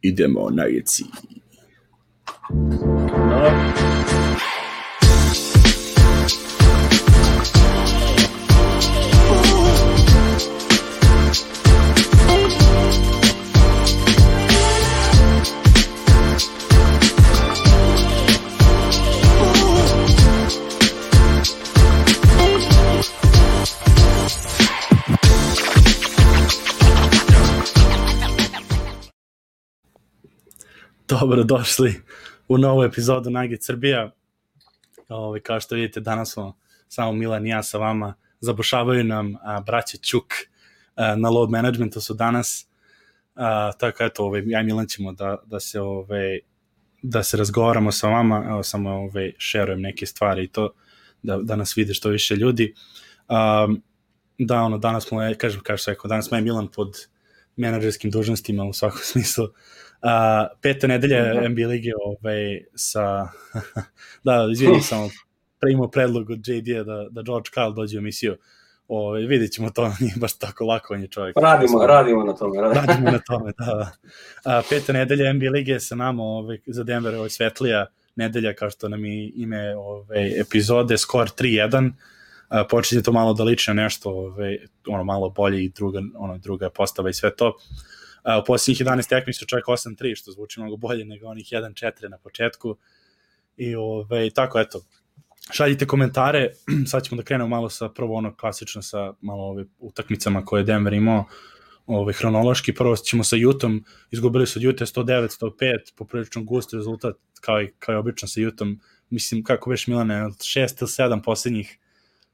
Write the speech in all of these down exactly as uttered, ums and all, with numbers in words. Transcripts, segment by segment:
idemo na jeci. Dobro došli u novu epizodu Nugget Srbija. Ove, kao što vidite, danas smo samo Milan i ja sa vama. Zabušavaju nam a, braća Ćuk a, na load managementu su danas. A, tako eto, ove, ja i Milan ćemo da, da, se, ove, da se razgovaramo sa vama. Evo samo ove, šerujem neke stvari i to da, da nas vide što više ljudi. A, da, ono, danas smo, kažem, kao što rekao, danas smo ja i Milan pod menadžerskim dužnostima u svakom smislu. Uh, peta nedelja uh-huh. N B A lige ovaj, sa da, izvinim samo primao predlog od J D-a da, da George Karl dođe u emisiju. Ovaj, vidjet ćemo to, nije baš tako lako, on je čovjek. Radimo, radimo na tome. Radimo, radimo na tome, da. Uh, peta nedelja N B A lige sa nama ovaj, za Denver, ovaj, svetlija nedelja, kao što nam je ime ovaj, epizode, skor tri jedan. Uh, počinje to malo da liči na nešto ovaj, ono, malo bolje i druga, ono, druga postava i sve to. Uh, u posljednjih jedanaest tekmi su čak osam tri, što zvuči mnogo bolje nego onih jedan četiri na početku. I ove, tako, eto, šaljite komentare, sad ćemo da krenemo malo sa prvo ono klasično sa malo ove utakmicama koje je Denver imao ove, hronološki. Prvo ćemo sa Utahom, izgubili su od Utah sto devet sto pet, poprilično gust rezultat, kao i, kao i obično sa Utahom. Mislim, kako već Milane, od šest ili sedam posljednjih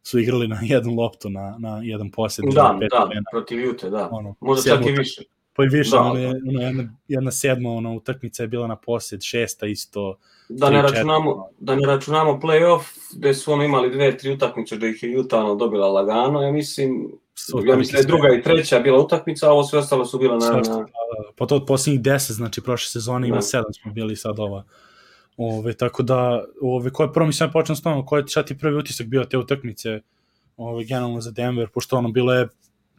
su igrali na jednu loptu, na, na jedan posjed. Da, da, protiv Utah, da, ono, možda čak i više. Pa i više, da, ono, ono, jedna, jedna sedma ono, utakmica je bila na posjed, šesta isto. Da ne, računamo, da ne računamo play-off, gde su ono imali dve, tri utakmice, da ih je Utah ono, dobila lagano, ja mislim, ja mislim da je druga i treća bila utakmica, a ovo sve ostalo su bila na... na... Pa to od posljednjih deset, znači prošle sezone ima sedam smo bili sad ova. Ove, tako da, ove, koje prvo mislim ja počnem s tom, koji je šta ti prvi utisak bio te utakmice, ove, generalno za Denver, pošto ono bilo je,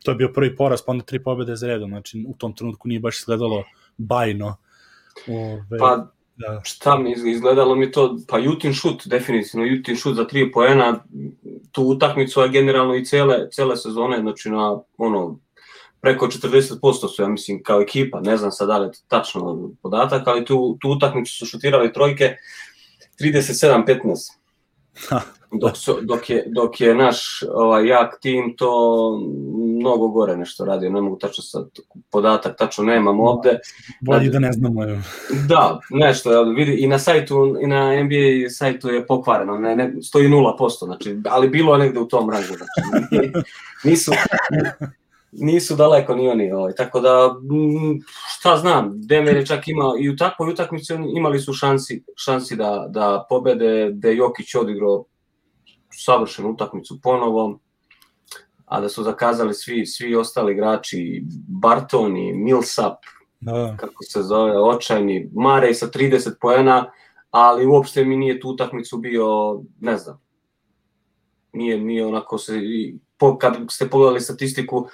to je bio prvi poraz, pa onda tri pobjede za redom, znači u tom trenutku nije baš izgledalo bajno. Ove, pa da. Šta mi izgledalo mi to, pa Jutin šut, definitivno Jutin šut za tri poena, tu utakmicu, a generalno i cele, cele sezone, znači na ono, preko četrdeset posto su, ja mislim, kao ekipa, ne znam sad da li je tačno podatak, ali tu, tu utakmicu su šutirali trojke trideset sedam petnaest. Dok, su, dok, je, dok je naš ovaj, jak tim to mnogo gore nešto radio, ne mogu tačno sad podatak, tačno nemam ovde. Bolje da ne znamo. Da, nešto, vidi, i na sajtu, i na N B A sajtu je pokvareno, ne, ne, stoji nula posto, znači, ali bilo je negde u tom rangu, znači, nisu... Nisu daleko ni oni, ovaj. Tako da, šta znam, Denver je čak imao, i u takvoj utakmici imali su šansi, šansi da, da pobede, da je Jokić odigrao savršenu utakmicu ponovo, a da su zakazali svi, svi ostali igrači, Barton i Millsap, da. Kako se zove, očajni, Murray sa trideset poena, ali uopšte mi nije tu utakmicu bio, ne znam, nije, nije onako se, kad ste pogledali statistiku,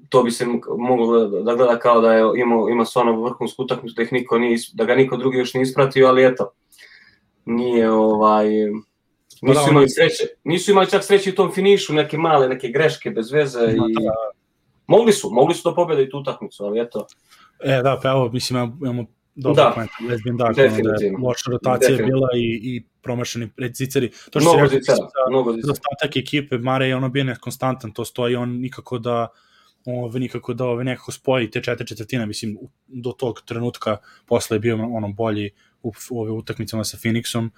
to bi se moglo da gleda kao da je imao, ima stvarno vrhunsku utakmicu, da, niko nije, da ga niko drugi još nije ispratio, ali eto, nije ovaj, nisu imali sreće, nisu imali čak sreće u tom finišu, neke male, neke greške bez veze i mogli su, mogli su da pobede i tu utakmicu, ali eto. E da, pa evo, mislim, imamo dobro point, Lesbian Dark, da je loša rotacija bila i, i promašeni ziceri. To što mnogo se zicera, mnogo zicera. Dostatak ekipe, Mare je ono bio nekonstantan, to stoji, on nikako da ove, nikako da ove, nekako spoji te četiri četvrtine, mislim, do tog trenutka posle je bio ono bolji u, u ove utakmicama sa Phoenixom.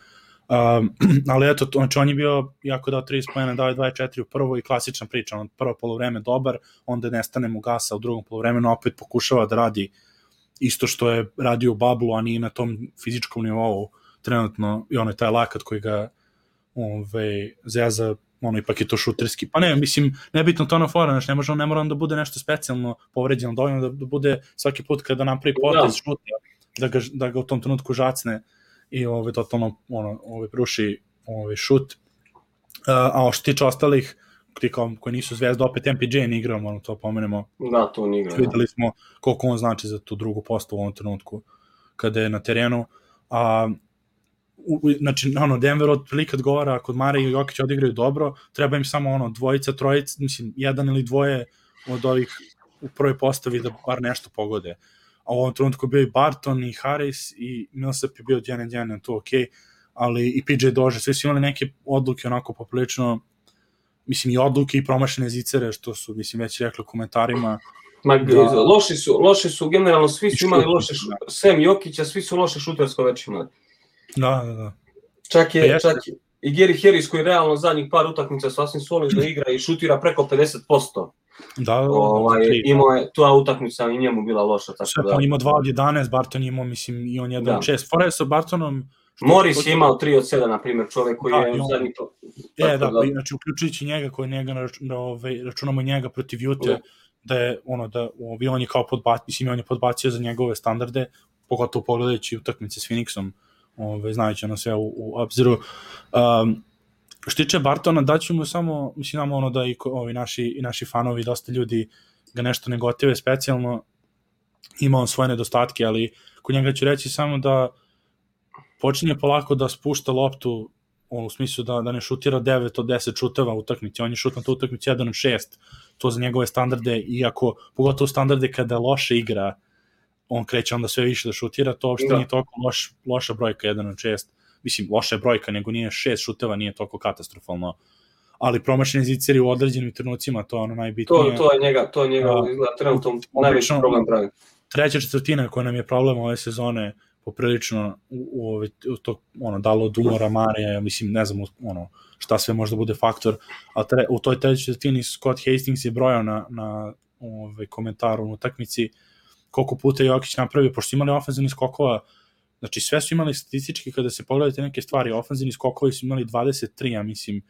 Um, ali eto, znači on je bio jako dao trideset poena, dao je dvadeset četiri u prvo i klasična priča, on prvo poluvreme dobar, onda nestane mu gasa u drugom poluvremenu, opet pokušava da radi isto što je radio u bablu, a nije na tom fizičkom nivou trenutno, i ono je taj lakat koji ga ove, zeza, ono ipak je to šuterski, pa ne, mislim, nebitno to na fora, znači ne može on, ne mora on da bude nešto specijalno povređeno, dovoljno da, da bude svaki put kada napravi potez šuta, da ga, da ga u tom trenutku žacne i ove, totalno ono, ove, pruši ove, šut. A što tiče ostalih, ti kao koji nisu zvezda, opet M P J ne igrao, ono to pomenemo. Da, to ne igra. Videli smo koliko on znači za tu drugu postavu u ovom trenutku kada je na terenu. A, u, znači, ono, Denver otprilike odgovara, ako Mare i Jokić odigraju dobro, treba im samo ono, dvojica, trojica, mislim, jedan ili dvoje od ovih u prvoj postavi da bar nešto pogode. A u ovom trenutku bio i Barton i Harris i Millsap je bio jedan jedan, to okej, okay, ali i P J Dozier, svi su imali neke odluke onako poprilično, mislim i odluke i promašene zicere, što su, mislim, već rekli u komentarima. Ma, da, loši su, loši su, generalno svi su imali loše, da. Sem Jokića, svi su loše šutersko već imali. Da, da, da. Čak je, čak je, i Gary Harris koji realno zadnjih par utakmica sasvim solidno igra i šutira preko pedeset posto. Da, da, ovaj, da, imao je, ta utakmica i njemu bila loša. Tako sve, da. On imao dva od jedanaest, Barton imao, mislim, i on jedan od šest. Fora je sa Bartonom... Morris je imao tri od sedam, na primjer, čovjek koji da, je on, zadnji to. E, da, da, znači, uključujući njega, koji njega, da, ove, računamo njega protiv Ute, da. da je, ono, da, ovi, on je kao podbacio, mislim, on je podbacio za njegove standarde, pogotovo pogledajući utakmice s Phoenixom, ove, znajući ono sve u, u obziru. Um, što tiče Bartona, daću mu samo, mislim, nam ono da i ovi naši, i naši fanovi, dosta ljudi ga nešto negotive specijalno, ima on svoje nedostatke, ali kod njega ću reći samo da počinje polako da spušta loptu, u smislu da, da ne šutira devet od deset šuteva u utakmici, on je šut na tu utakmici jedan od šest, to za njegove standarde, iako, pogotovo standarde kada loše igra, on kreće onda sve više da šutira, to uopšte da. Nije toliko loš, loša brojka jedan od šest, mislim, loša je brojka, nego nije šest šuteva, nije toliko katastrofalno, ali promašeni ziceri u određenim trenucima, to je ono najbitnije. To, to je njega, to je njega, uh, izgleda trenutno najveći problem pravi. Treća četvrtina koja nam je problem ove sezone, poprilično u, u, u to ono dalo od umora Mare, mislim ne znam ono šta sve može da bude faktor, a tre, u toj trećoj četvrtini Scott Hastings je brojao na na ovaj komentaru na utakmici koliko puta je Jokić napravio, pošto imali ofenzivnih skokova, znači sve su imali statistički kada se pogledate neke stvari, ofenzivni skokovi su imali dvadeset tri, ja mislim,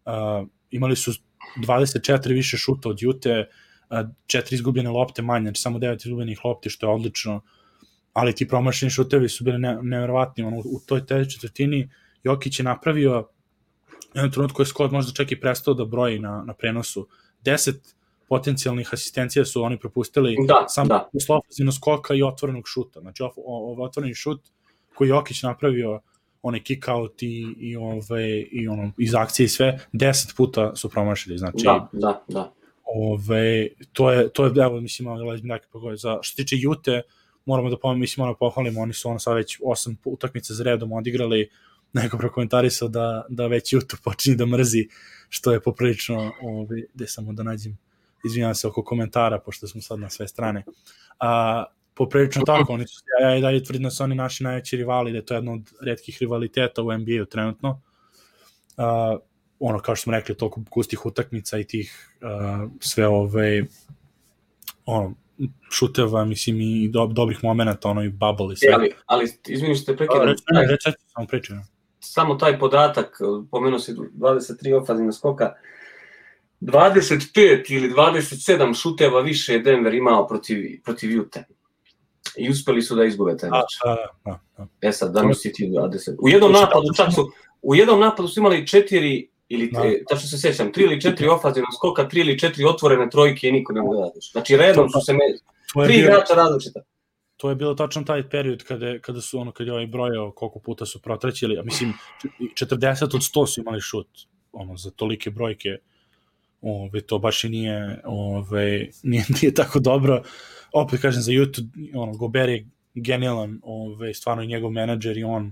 uh, imali su dvadeset četiri više šuta od Ute, uh, četiri izgubljene lopte manje, znači samo devet izgubljenih lopti, što je odlično. Ali ti promašeni šutevi su bili ne, nevjerovatni, ono, u toj trećoj četvrtini Jokić je napravio jedan trenutku je Scott možda čak i prestao da broji na, na prenosu, deset potencijalnih asistencija su oni propustili da, samo da. Posle ofenzivnog skoka i otvorenog šuta, znači ovaj otvoreni šut koji Jokić napravio, onaj kick out i, i, ove, i ono, iz akcije i sve, deset puta su promašili, znači da, da, da. Ove, to je, to je, evo, mislim, za što tiče Jute, moramo da pomoći, mislim, moramo pohvalimo, oni su ono sad već osam utakmica za redom odigrali, neko prokomentarisao da, da već YouTube počinje da mrzi, što je poprilično, ovaj, gde samo da nađem, izvinjam se oko komentara, pošto smo sad na sve strane. A, poprilično tako, oni su, ja i dalje tvrdim da su oni naši najveći rivali, da je to jedno od retkih rivaliteta u N B A-u trenutno. A, ono, kao što smo rekli, toliko gustih utakmica i tih a, sve ove, ono, šuteva, mislim, i do, dobrih momenata, ono, i bubble i sve. E, ali, ali izvini što te prekidam. Reći, ne, reći, samo pričam. Samo taj podatak, pomenuo si dvadeset tri ofenzivna skoka, dvadeset pet ili dvadeset sedam šuteva više je Denver imao protiv, protiv Ute. I uspeli su da izgube taj meč. E sad, da mi si ti dvadeset. U jednom napadu čak su, u jednom napadu su imali četiri ili tačno se sećam, tri ili četiri ofenzivna skoka, tri ili četiri otvorene trojke i niko ne mogu da radiš. Znači redom su se me, tri igrača različita. To je bilo tačno taj period kada, kada su ono, kada je ovaj brojao koliko puta su protrećili, a mislim četrdeset od sto su imali šut, ono, za tolike brojke, ove, to baš i nije, ove, nije, nije tako dobro. Opet kažem, za YouTube, ono, Gobert je genijalan, ove, stvarno i njegov menadžer i on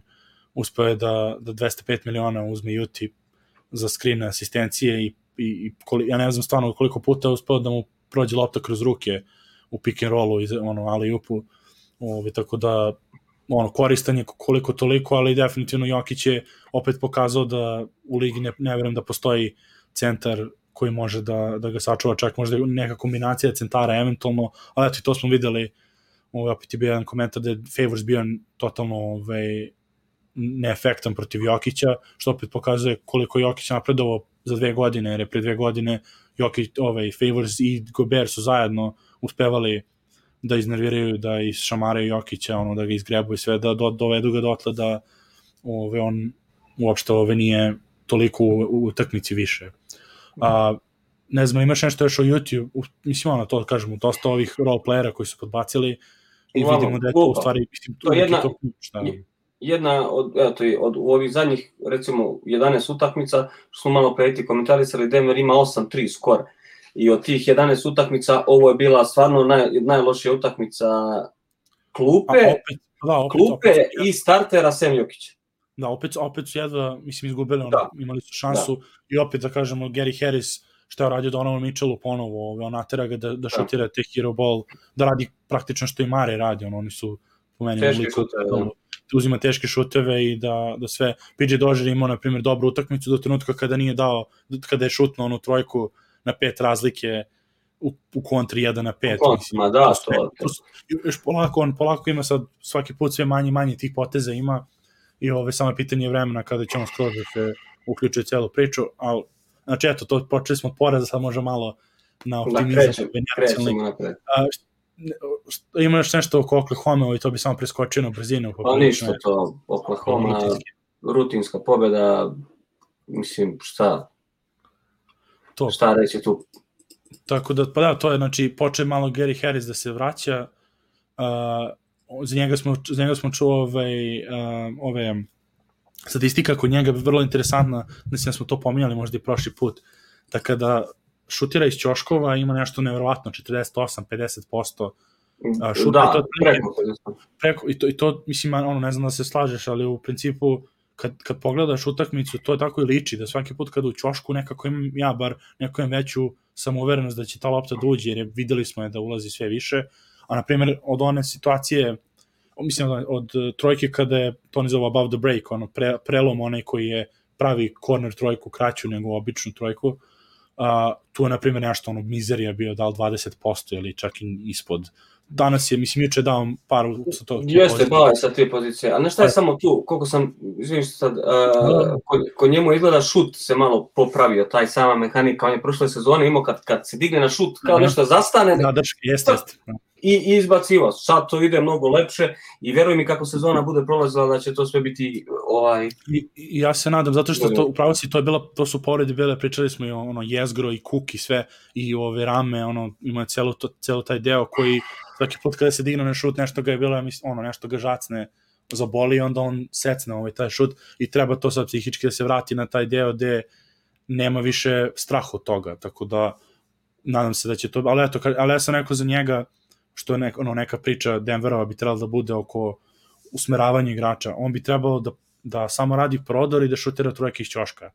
uspeo je da, da dvesta pet miliona uzme YouTube za screen asistencije i, i, i koli, ja ne znam stvarno koliko puta je uspeo da mu prođe lopta kroz ruke u pick and rollu, ono, alley-oopu, Ove, tako da ono, koristan je koliko toliko, ali definitivno Jokić je opet pokazao da u ligi ne, ne verujem da postoji centar koji može da, da ga sačuva, čak možda neka kombinacija centara eventualno, ali eto i to smo videli, ove, opet je bio jedan komentar da je Favors bio totalno ove, neefektan protiv Jokića, što opet pokazuje koliko Jokić napredovao za dve godine, jer je pre dve godine Jokić, ove, Favors i Gobert su zajedno uspevali da iznerviraju, da išamaraju Jokića, ono, da ga izgrebu i sve, da do, dovedu ga dotle da ove, on uopšte ove nije toliko u, u utakmici više. A, ne znam, imaš nešto još o YouTube, u, mislim, ono, to kažemo, dosta ovih roleplayera koji su podbacili i Uglavnom, vidimo da je to u stvari, mislim, to je jedna, to, šta, jedna od, eto, od u ovih zadnjih, recimo, jedanaest utakmica, što smo malo pre ti komentarisali, Denver ima osam tri skor. I od tih jedanaest utakmica, ovo je bila stvarno naj, najlošija utakmica klupe, opet, da, opet, klupe opet, i startera Sem Jokića. Da, opet, opet su jedva, mislim, izgubili, ono, da. imali su šansu da. I opet, da kažemo, Gary Harris, što je radio Donovan Mitchellu ponovo, on natera ga da, da šutira te hero ball, da radi praktično što i Mare radi, ono, oni su po meni teške šuteve, da. Uzima teške šuteve i da, da sve, P J Dozier imao, na primjer, dobru utakmicu do trenutka kada nije dao, kada je šutno onu trojku na pet razlike u, u kontri jedan na pet. Ma da, to, to, to. Još polako, on polako ima sad svaki put sve manje manje tih poteza ima i ove samo pitanje vremena kada će on skroz da se uključuje celu priču, ali znači eto, to počeli smo poraz, sad može malo na optimizam. Da, krećemo, krećemo napred. Ima još nešto oko Oklahoma i to bi samo preskočio na brzinu. Pa ništa to, Oklahoma, rutinska pobjeda, mislim, šta, to. Šta reći tu? Tako da, pa da, to je, znači, počeo malo Gary Harris da se vraća, uh, za njega smo, za njega smo čuo ove, uh, ove statistika kod njega je vrlo interesantna, mislim da smo to pominjali možda i prošli put, da kada šutira iz ćoškova ima nešto nevjerovatno, četrdeset osam do pedeset posto šuta. Da, i to, preko. preko i, to, I to, mislim, ono, ne znam da se slažeš, ali u principu, kad, kad pogledaš utakmicu, to je tako i liči, da svaki put kada u ćošku nekako imam, ja bar, neko imam veću samouverenost da će ta lopta da uđe, jer je, videli smo je da ulazi sve više, a na primjer od one situacije, mislim od, od trojke kada je, to ne zove above the break, ono, pre, prelom onaj koji je pravi corner trojku kraću nego običnu trojku, uh, tu je na primjer nešto ono mizerija bio dal dvadeset posto ili čak i ispod. Danas je, mislim, juče dao par sa to. Jeste, dao je sa te pozicije. A ne šta je samo tu, koliko sam, izvinim što sad, uh, ko, ko njemu izgleda šut se malo popravio, taj sama mehanika, on je prošle sezone imao kad, kad se digne na šut, kao nešto zastane. Da, drške, jeste, jeste. I, i izbacivo. Sad to ide mnogo lepše i veruj mi kako sezona bude prolazila da će to sve biti ovaj... I, i ja se nadam, zato što to, upravo si, to je bilo, to su povrede bile, pričali smo i ono jezgro i kuk i sve, i ove rame, ono, ima celo, to, celo taj deo koji svaki put kada se digne na šut, nešto ga je bilo, ono, nešto ga žacne, zaboli, onda on secne ovaj taj šut i treba to sad psihički da se vrati na taj deo gde nema više straha od toga, tako da nadam se da će to, ali eto, ali ja sam rekao za njega, što je nek, ono, neka priča Denverova bi trebala da bude oko usmeravanja igrača, on bi trebalo da, da samo radi prodor i da šutira trojke iz ćoška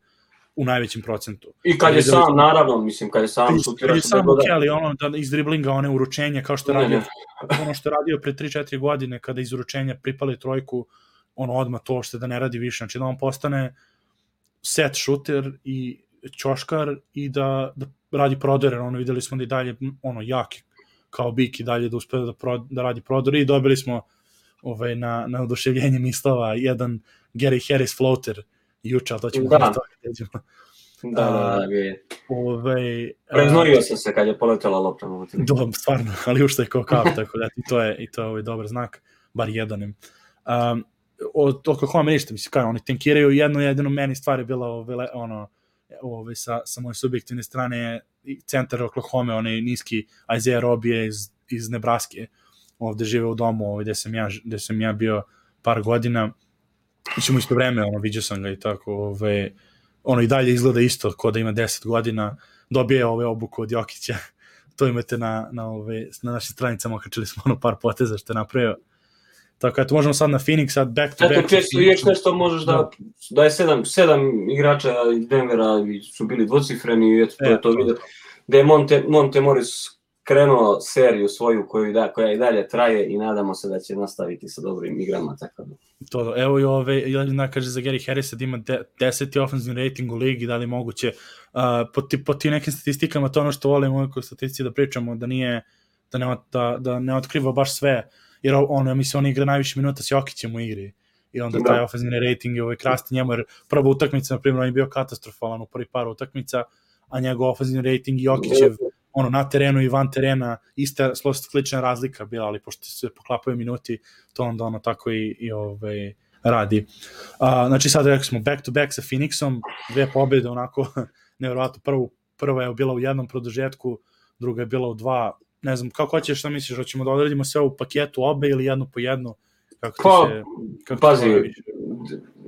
u najvećem procentu. I kad je sam, da... naravno, mislim, kad je sam šutira... Kad je sam, ok, ali ono, da iz driblinga, one uručenje, kao što je radio, ono što je radio pre tri četiri godine, kada iz uručenja pripali trojku, ono, odmah to što da ne radi više, znači da on postane set šuter i ćoškar i da, da radi prodore, ono, videli smo da i dalje, ono, jaki kao bik i dalje da uspe da, pro, da radi prodor i dobili smo ovaj, na, na oduševljenje mislova jedan Gary Harris floater juče, ali to ćemo da to vidjeti. Da, da, da, je. Ovaj, Preznorio sam se kad je poletela lopta. Dobro, stvarno, ali ušte je kao kao, tako da i to je, i to je ovaj dobar znak, bar jedanim. Um, od Oklahoma ništa, mislim, kao oni tenkiraju, jedno jedino meni stvar je bila ovaj, ono, ovaj, sa, sa moje subjektivne strane centar Oklahoma, onaj niski Isaiah Robbie iz, iz Nebraske, ovde žive u domu, ovaj, gde sam ja, gde sam ja bio par godina, ćemo isto vreme, ono, vidio sam ga i tako, ovaj, ono i dalje izgleda isto, ko da ima deset godina, dobije ove obuku od Jokića, to imate na, na, ove, na našim stranicama, okačili smo ono par poteza što je napravio. Tako, eto, možemo sad na Phoenix, sad back to back. Eto, često još nešto možeš da, da je sedam, sedam igrača iz Denvera su bili dvocifreni i eto, to je to vidio. Da je Monte, Monte Morris krenuo seriju svoju koju da, koja i dalje traje i nadamo se da će nastaviti sa dobrim igrama. Tako da. To, evo i ove, Jelena kaže za Gary Harrisa da ima de, deseti ofenzivni rating u ligi, da li moguće. Uh, po, ti, po ti nekim statistikama, to ono što volimo u statistici da pričamo, da nije, da ne, da, da ne otkriva baš sve, jer on, ja mislim, on igra najviše minuta s Jokićem u igri. I onda taj ofenzivni rating je ovaj krasti njemu, jer prva utakmica, na primjer, on je bio katastrofalan u prvi par utakmica, a njegov ofenzivni rating i Jokićev ono, na terenu i van terena, ista slična razlika bila, ali pošto se poklapaju minuti, to onda ono tako i, i ovaj, radi. Uh, znači sad rekli smo back to back sa Phoenixom, dve pobjede onako, nevjerovatno, prvu prva je bila u jednom produžetku, druga je bila u dva, ne znam, kako hoćeš, šta misliš, hoćemo da odredimo sve u paketu obe ili jednu po jednu? Kako pa, se, kako pazi,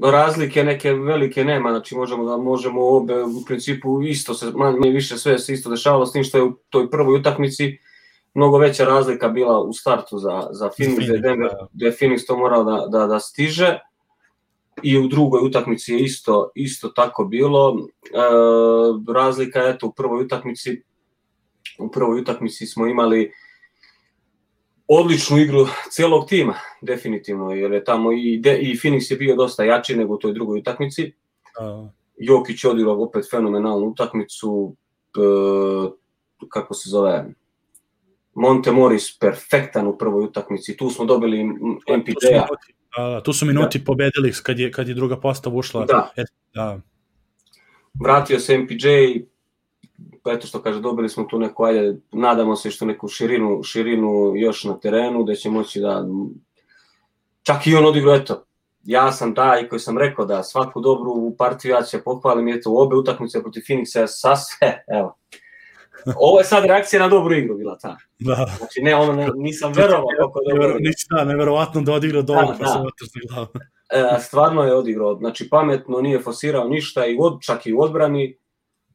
razlike neke velike nema, znači možemo da možemo obe u principu isto se, manje više sve se isto dešavalo, s tim što je u toj prvoj utakmici mnogo veća razlika bila u startu za, za Phoenix, gde je Denver, gde je Phoenix to morao da, da, da stiže, i u drugoj utakmici je isto, isto tako bilo. E, razlika je, eto, u prvoj utakmici, u prvoj utakmici smo imali odličnu igru celog tima, definitivno, jer je tamo i, de, i Phoenix je bio dosta jači nego u toj drugoj utakmici. Uh. Jokić je odigrao opet fenomenalnu utakmicu, e, kako se zove, Monte Morris perfektan u prvoj utakmici, tu smo dobili M P J-a. Uh, tu su minuti da. pobedili kad je, kad je druga postava ušla. Da. Et, da. Vratio se M P J, pa eto što kaže, dobili smo tu neku, ajde, nadamo se što neku širinu, širinu još na terenu, gde će moći da, čak i on odigrao, eto, ja sam taj koji sam rekao da svaku dobru partiju ja će pohvalim, eto, u obe utakmice protiv Phoenixa sa sve, evo. Ovo je sad reakcija na dobru igru bila ta. Da. Znači, ne, ono, ne, nisam verovao kako je dobro. Ništa, da, neverovatno da odigrao dobro, pa se otrzni glavu. E, stvarno je odigrao, znači pametno, nije forsirao ništa, i od, čak i u odbrani,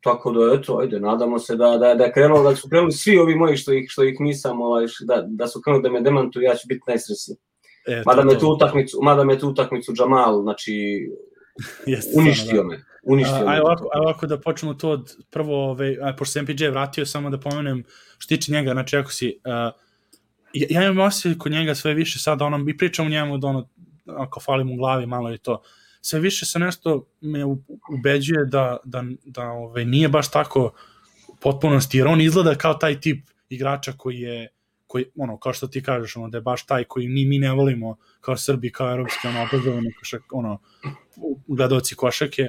tako da, eto, ajde, nadamo se da, da, da je krenulo, da su krenuli svi ovi moji što ih, što ih nisam, ovaj, da, da su krenuli da me demantuju, ja ću biti najsrećniji. E, mada, me tu utakmicu, mada me tu utakmicu Jamal, znači, Jeste, uništio da. me. Uništio a, aj ovako, aj ovako da počnemo to od prvo, ove, aj, pošto se M P J vratio, samo da pomenem što tiče njega, znači ako si, uh, ja, ja imam osjećaj kod njega sve više sada, ono, i pričam u njemu da ono, ako falim u glavi malo i to, sve više se nešto me ubeđuje da, da, da ove, nije baš tako u potpunosti, jer on izgleda kao taj tip igrača koji je, koji, ono, kao što ti kažeš, ono, da je baš taj koji ni mi ne volimo kao Srbi, kao evropski, ono, obrazovani košak, ono, gledalci košake,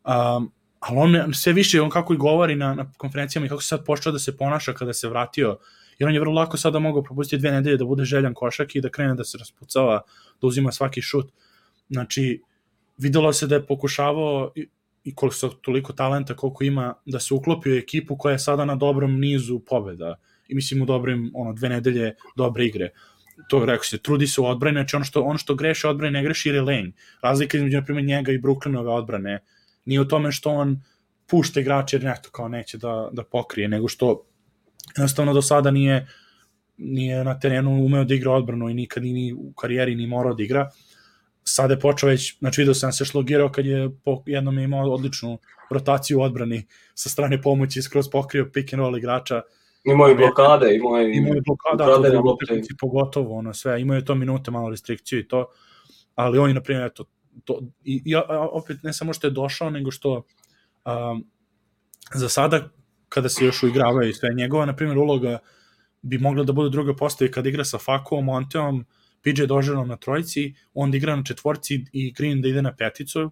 um, ali on sve više, on kako i govori na, na konferencijama i kako se sad počeo da se ponaša kada se vratio, jer on je vrlo lako sada mogao propustiti dve nedelje da bude željan košak i da krene da se raspucava, da uzima svaki šut. Znači, videlo se da je pokušavao i, i koliko su toliko talenta koliko ima da se uklopi u ekipu koja je sada na dobrom nizu pobeda i mislim u dobrim, ono, dve nedelje dobre igre. To rekao se, trudi se u odbrani, znači ono što, on što greše odbrane ne greši jer je lenj. Razlika između, na primjer, njega i Brooklynove odbrane nije u tome što on pušta igrače jer nekto kao neće da, da pokrije, nego što jednostavno do sada nije, nije na terenu umeo da igra odbranu i nikad ni u karijeri ni morao da igra. Sada je počeo već, znači vidio sam se šlogirao kad je po jednom je imao odličnu rotaciju u odbrani sa strane pomoći, skroz pokrio pick and roll igrača. Imao je blokade, imao je imao je blokade, to pogotovo, ono sve, imao je to minute, malo restrikciju i to, ali on je, na primjer, eto, to, i, i opet ne samo što je došao, nego što um, za sada, kada se još uigravaju i sve njegova, na primjer, uloga bi mogla da bude druga postava kada igra sa Fakom, Monteom, P J Dožerom na trojici, on da igra na četvorci i Green da ide na peticu.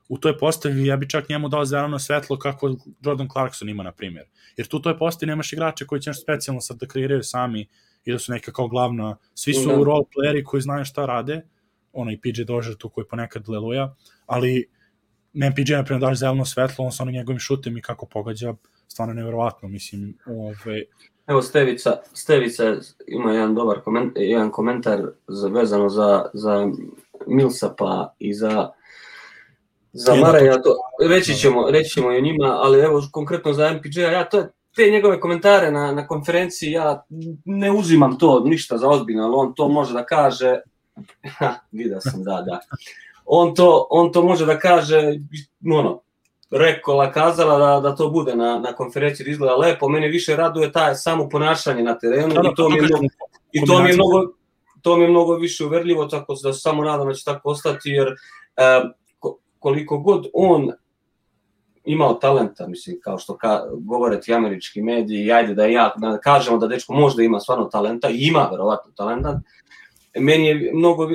U toj postavi ja bi čak njemu dao zeleno svetlo kako Jordan Clarkson ima, na primjer. Jer tu u toj postavi nemaš igrače koji će nešto specijalno sad da kreiraju sami i da su neka kao glavna. Svi su mm-hmm. role playeri koji znaju šta rade, ono i P J Dožer tu koji ponekad leluja, ali M P J, na primjer, daš zeleno svetlo, on sa onim njegovim šutem i kako pogađa, stvarno nevjerovatno, mislim. Ove... Evo, Stevica, Stevica ima jedan dobar koment, jedan komentar za, vezano za, za Millsapa i za za Maraja, to, reći, ćemo, reći ćemo i o njima, ali evo konkretno za M P J-a, ja to, te njegove komentare na, na konferenciji, ja ne uzimam to ništa za ozbiljno, ali on to može da kaže, ha, vidio sam, da, da, on to, on to može da kaže, ono, rekola, kazala da, da to bude na, na konferenciji, da izgleda lepo, mene više raduje taj samo ponašanje na terenu i to mi je mnogo, i to mi je mnogo, to mi je mnogo više uverljivo, tako da se samo nadam da će tako ostati, jer uh, koliko god on imao talenta, mislim, kao što ka, govore ti američki mediji, ajde da ja da kažemo da dečko možda ima stvarno talenta, i ima verovatno talenta, meni je mnogo, uh,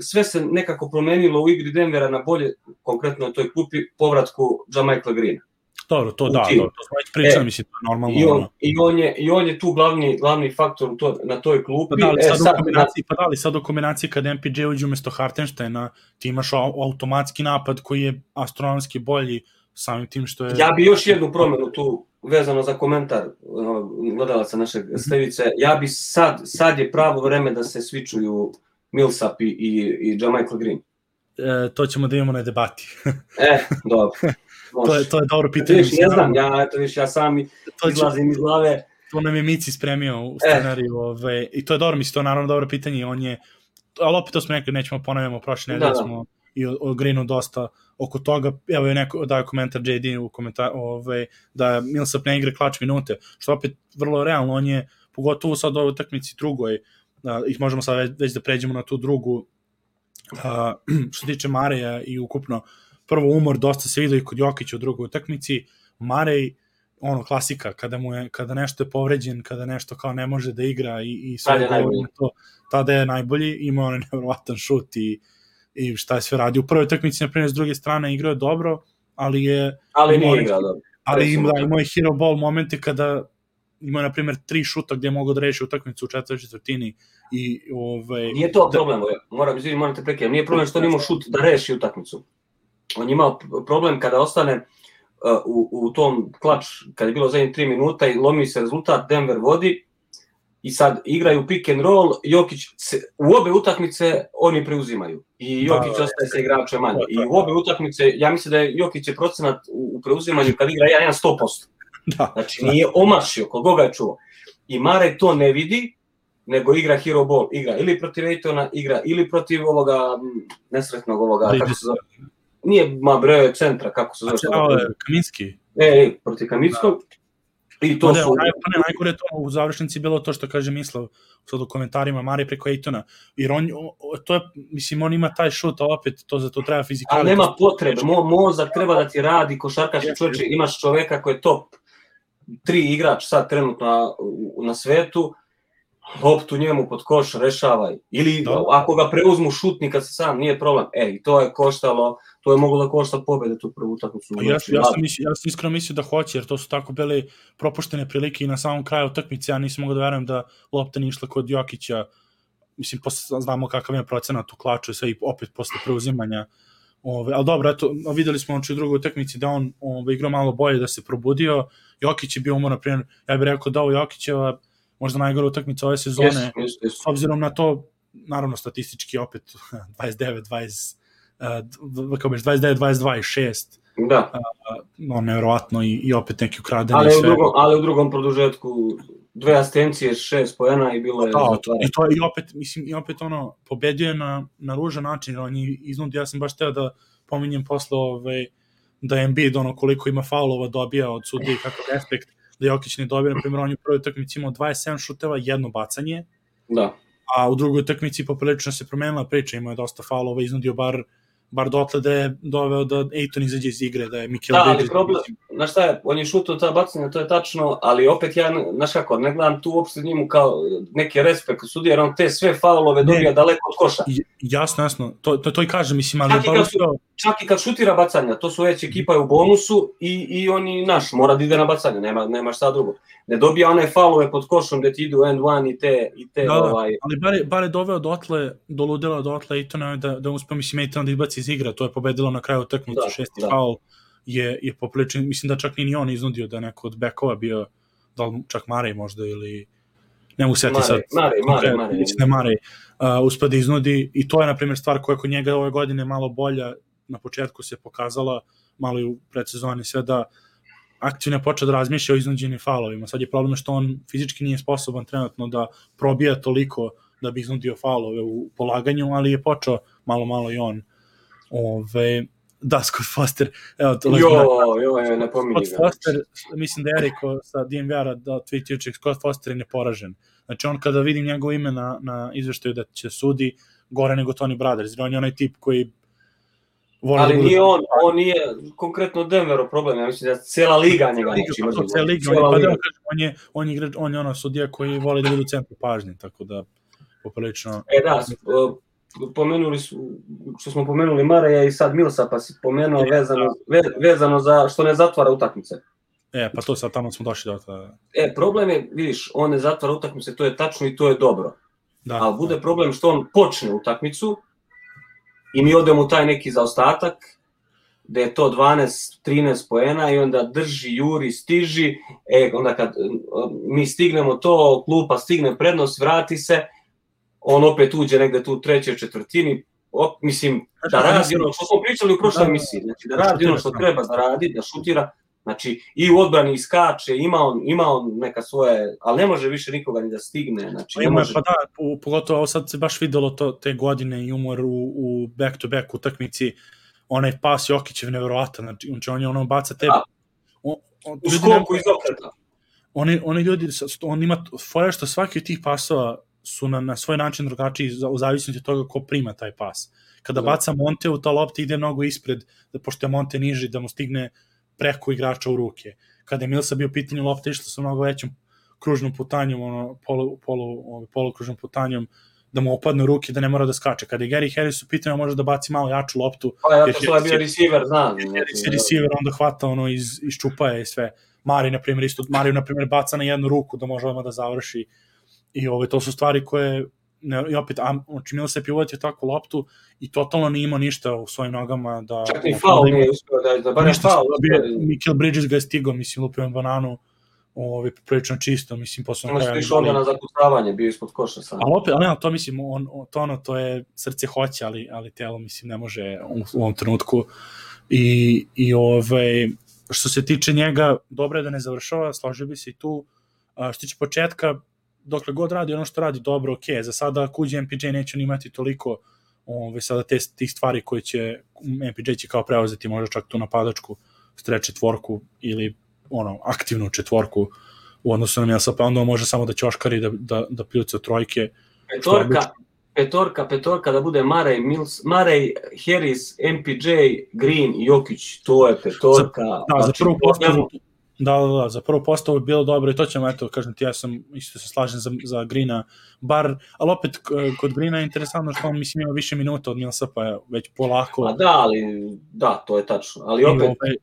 sve se nekako promenilo u igri Denvera na bolje, konkretno na toj klupi, povratku Jamichaela Greena. Dobro, to da, to, to smo već pričali, e, mislim, to je normalno. I on, i on, je, i on je tu glavni, glavni faktor to, na toj klupi. Pa da, li e, sad, sad, u kombinaciji, pa da li sad u kombinaciji kada M P J uđe umjesto Hartensteina, ti imaš automatski napad koji je astronomski bolji samim tim što je... Ja bi još jednu promenu tu vezano za komentar gledalaca našeg Stevice, ja bi sad, sad je pravo vreme da se svičuju Millsap i, i Jermichael Green. E, to ćemo da imamo na debati. E, dobro. to, je, to je dobro pitanje. Viš, ne znam, ja, to viš, ja sam izlazim iz glave. To nam je Mici spremio u scenariju. E. Ove, I to je dobro, mislim, to je naravno dobro pitanje. On je, ali opet to smo nekad nećemo ponavljamo, prošle nedelje smo i o, o Greenu dosta oko toga. Evo je neko daje komentar J D u komentar, ove, da Millsap ne igra klač minute, što opet vrlo realno. On je, pogotovo sad u ovoj utakmici drugoj, da, ih možemo sad već, već da pređemo na tu drugu, a, što tiče Mareja i ukupno prvo umor, dosta se vidio i kod Jokića u drugoj utakmici. Marej, ono, klasika, kada mu je, kada nešto je povređen, kada nešto kao ne može da igra i, i sve govori to, tada je najbolji, ima onaj nevjerovatan šut i, i šta je sve radi. U prvoj utakmici, na primjer, s druge strane igrao je dobro, ali je... Ali nije igrao dobro. Ali ima, imao je hero ball momente kada ima, na primjer, tri šuta gdje je mogao da reši utakmicu u četvrtoj četvrtini i ovaj... Nije to problem, da... moram, izvini, moram te prekidati, nije problem što on imao šut da reši utakmicu. On je imao problem kada ostane uh, u, u tom klač, kada je bilo zadnjih tri minuta i lomi se rezultat, Denver vodi i sad igraju pick and roll, Jokić se, u obe utakmice oni preuzimaju i Jokić da, ostaje sa igračem manje. I u obe utakmice, ja mislim da je Jokić je procenat u, u preuzimanju kad igra jedan sto posto. Da, znači nije omašio, koliko ga je čuo. I Marej to ne vidi, nego igra hero ball, igra ili protiv Aytona, igra ili protiv ovoga nesretnog ovoga, Lidis. Kako se zove? Nije Mabre centra, kako se zove? A je Kaminski. E, protiv Kaminskog. I to ne, su... Ne, najgore to u završnici bilo to što kaže Mislav sad u komentarima Marej preko Aytona. Jer on, to je, mislim, on ima taj šut, a opet to za to treba fizikalno. A nema potrebe, Mo, mozak treba da ti radi, košarkaš i čovječe, imaš čoveka koji je top tri igrač sad trenutno na, na svetu, loptu njemu pod koš rešavaj. Ili da. Ako ga preuzmu šutni kad se sam, nije problem. E, i to je koštalo, to je moglo da košta pobede tu prvu utakmicu. Ja, ja, sam mislio, ja sam iskreno mislio da hoće, jer to su tako bile propuštene prilike i na samom kraju utakmice ja nisam mogao da verujem da lopta nije išla kod Jokića. Mislim, posle, znamo kakav je procenat u klaču i sve i opet posle preuzimanja. Ove, ali dobro, eto, videli smo u drugoj utakmici da on ove, igrao malo bolje, da se probudio. Jokić je bio umor, naprimjer, ja bih rekao da ovo Jokićeva možda najgora utakmica ove sezone, yes, yes, yes. S obzirom na to, naravno statistički opet dvadeset devet dvadeset, dvadeset devet dvadeset dva i šest, da. No, nevjerovatno i, i opet neki ukradeni ali sve. U drugom, ali u drugom produžetku dve asistencije, šest poena i bilo je... Da, i, to, i, opet, mislim, i opet ono, pobedio je na, na ružan način, on je iznudio, ja sam baš teo da pominjem posle ovaj, da je Embiid ono koliko ima faulova dobija od sudije, kakav respekt, da Jokić ne dobije, na primjer, on je u prvoj utakmici imao dvadeset sedam šuteva, jedno bacanje, da. A u drugoj utakmici poprilično se promenila priča, imao je dosta faulova, iznudio bar bar dotle da je doveo da Ayton izađe iz igre, da je Mikel da, ali problem, znaš šta je, on je šutao ta bacanja, to je tačno, ali opet ja, znaš kako, ne gledam tu uopšte njemu kao neki respekt sudija, jer on te sve faulove dobija daleko od koša. Jasno, jasno, to, to, to i kažem, mislim, ali... Čak i, kad, čak i kad šutira bacanja, to su već ekipa je u bonusu i, i oni, naš, mora da ide na bacanje, nema, nema šta drugo. Ne dobija one faulove pod košom gde ti idu end one i te... I te da, ovaj... ali bar je, bar je doveo dotle, do ludila dotle Aytona da, da uspio, mislim, Aytona da izbaci iz igra, to je pobedilo na kraju utakmice, šesti da. faul je, je poprilično, mislim da čak ni on iznudio da neko od bekova bio, da li čak Marej možda ili ne mogu seti sad. Marej, Marej, Marej. Mislim da Marej uh, uspio da iznudi i to je, na primjer, stvar koja kod njega ove godine malo bolja, na početku se pokazala, malo i u predsezoni sve da aktivno je počeo da razmišlja o iznuđenim faulovima. Sad je problem što on fizički nije sposoban trenutno da probija toliko da bi iznudio faulove u polaganju, ali je počeo malo, malo i on. Ove, da, Scott Foster. Evo, to jo, jo, ne pominji. Scott Foster, mislim da je rekao sa D M V-a da tweet jučer, Scott Foster je neporažen. Znači on kada vidim njegovo ime na, na izveštaju da će sudi, gore nego Tony Brothers, jer on je onaj tip koji ali da nije on, on nije konkretno Denverov problem, ja mislim da cijela liga njega neći. Liga, cijela liga, cijela on, je, liga. On, je, on, je, igrač, on je ono sudija koji voli da bude u centru pažnje, tako da poprilično... E da, pomenuli su, što smo pomenuli Mareja i sad Millsa, pa si pomenuo vezano, vezano za što ne zatvara utakmice. E, pa to sad tamo smo došli do toga. E, problem je, vidiš, on ne zatvara utakmice, to je tačno i to je dobro. Da, ali bude da. problem što on počne utakmicu i mi odemo u taj neki zaostatak da je to dvanaest trinaest poena i onda drži, juri, stiži, e, onda kad mi stignemo to, klupa stigne prednost, vrati se, on opet uđe negde tu u trećoj četvrtini, op, mislim, da radi ono što smo pričali u prošloj emisiji, znači da radi ono što treba da radi, da šutira, znači i u odbrani iskače, ima on, ima on neka svoje, ali ne može više nikoga ni da stigne, znači ne može. Pa da, pogotovo ovo sad se baš videlo to, te godine i umor u, u back-to-back utakmici, onaj pas Jokićev nevjerovatan, znači on je ono baca te... Da, on, on, u skoku iz okreta. Oni, oni ljudi, on ima fora što svaki od tih pasova su na, na svoj način drugačiji u zavisnosti od toga ko prima taj pas. Kada baca Monteu, ta lopta ide mnogo ispred, da pošto je Monte niži, da mu stigne preko igrača u ruke. Kada je Millsa bio pitanje, lopta išla sa mnogo većom kružnom putanjom, ono, polu, polu, polukružnom putanjom, da mu opadne u ruke, da ne mora da skače. Kada je Gary Harris u pitanju, može da baci malo jaču loptu. Pa ja to je bio receiver, znam. Je receiver, onda hvata ono iz, iz čupaja i sve. Mari, na primjer, isto, Mari, na primjer, baca na jednu ruku da može odmah da završi. I ove, to su stvari koje, ne, i opet, znači Millsap je uvatio takvu loptu i totalno nije imao ništa u svojim nogama. Da, čak i faul nije uspio da, da barem faul. Michael Bridges ga je stigao, mislim, lupio bananu, ove, prilično čisto, mislim, posle ono što išao onda na zakucavanje, bio ispod koša sam. Ali opet, ali ne, to mislim, on, to, ono, to je srce hoće, ali, ali telo, mislim, ne može u, u ovom trenutku. I, i ove, što se tiče njega, dobro je da ne završava, složio bi se i tu. A, što tiče početka, dokle god radi ono što radi dobro, ok, za sada ako uđe M P J neće on imati toliko ove, sada te, tih stvari koje će M P J će kao preuzeti možda čak tu napadačku stretch četvorku ili ono, aktivnu četvorku u odnosu na Millsa, pa onda može samo da ćoškari da, da, da pljuca trojke. Petorka, petorka, petorka da bude Murray, Mills, Murray, Harris, M P J, Green i Jokić, to je petorka. Za, da, za prvu postavu, da, da, da, za prvu postavu je bilo dobro i to ćemo, eto, kažem ti, ja sam isto se slažem za, za Greena, bar, ali opet kod Greena je interesantno što on, mislim, ima više minuta od Millsa, pa je već polako. A da, ali, da, to je tačno, ali opet... Ove,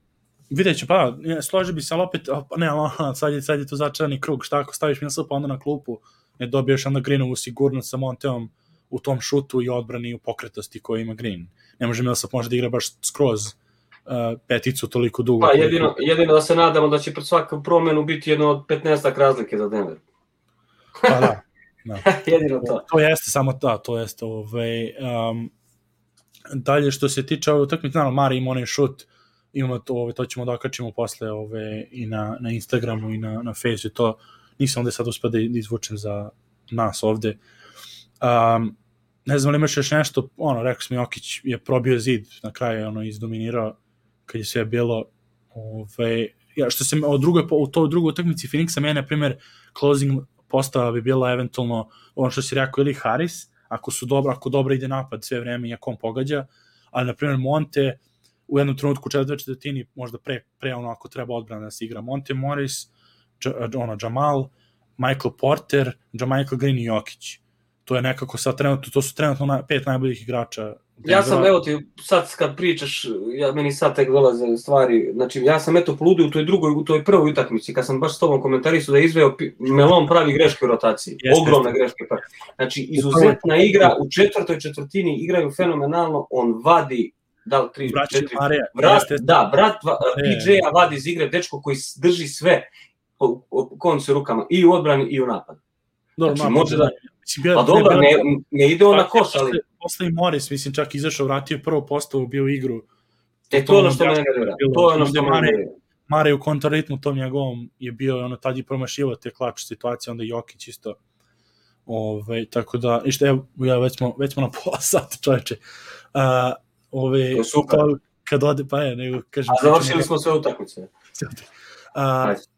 vidjet ću, pa, složi bi se, ali opet, ne, sad je, sad je to začarani krug, šta ako staviš Millsapa onda na klupu, ne dobiješ onda Greenovu sigurnost sa Monteom u tom šutu i odbrani i u pokretosti koju ima Green. Ne može Millsap može da igra baš skroz uh, peticu toliko dugo. Pa jedino, jedino da se nadamo da će pred svaku promenu biti jedno od petnaestak razlike za Denver. Pa da. da. jedino to. To jeste samo da, to jeste. Ovaj, um, dalje što se tiče ove utakmice, naravno, Mari ima onaj šut, imamo to, ove, to ćemo da okačimo posle ove, i na, na Instagramu i na, na Facebooku, to nisam ovde sad uspio da izvučem za nas ovde. Um, ne znam li imaš još nešto, ono, rekao sam Jokić je probio zid, na kraju je ono izdominirao kad je sve bilo. Ove, ja, što se o drugoj, u toj drugoj utakmici Phoenixa, meni, na primjer, closing postava bi bila eventualno ono što si rekao ili Harris, ako su dobro, ako dobro ide napad sve vreme i ako on pogađa, ali na primjer Monte u jednom trenutku u četvrtoj četvrtini možda pre, pre ono ako treba odbrana da se igra Monte Morris, Dž, ono, Jamal, Michael Porter, Jamichael Green i Jokić. To je nekako sad trenutno, to su trenutno na, pet najboljih igrača. Ja sam, evo ti, sad kad pričaš, ja, meni sad tek dolaze stvari, znači ja sam eto poludio u toj drugoj, u toj prvoj utakmici, kad sam baš s tobom komentarisao da je izveo Melon pravi greške u rotaciji, jeste, ogromne jeste. greške. Znači izuzetna igra, u četvrtoj četvrtini igraju fenomenalno, on vadi da li tri, Braći, četiri, Marija, brat, da, brat P J-a vadi iz igre, dečko koji drži sve po, po koncu rukama, i u odbrani i u napadu. Dobro, znači, ma, može da... Bio, pa dobro, ne, ne ide on na koš, ali... Posle i Morris, mislim, čak izašao, vratio prvu postavu, bio u igru. E, to je ono što me nervira. To je ono što me nervira. Mare u kontraritmu tom njegovom je bio, ono, tad je promašivo te klač situacije, onda Jokić isto. Ove, tako da, i što, evo, ja, već smo, već smo na pola sata, čovječe. Uh, ove, to je super. To, kad ode, pa je, nego, kažem... A završili smo sve utakmice. Uh,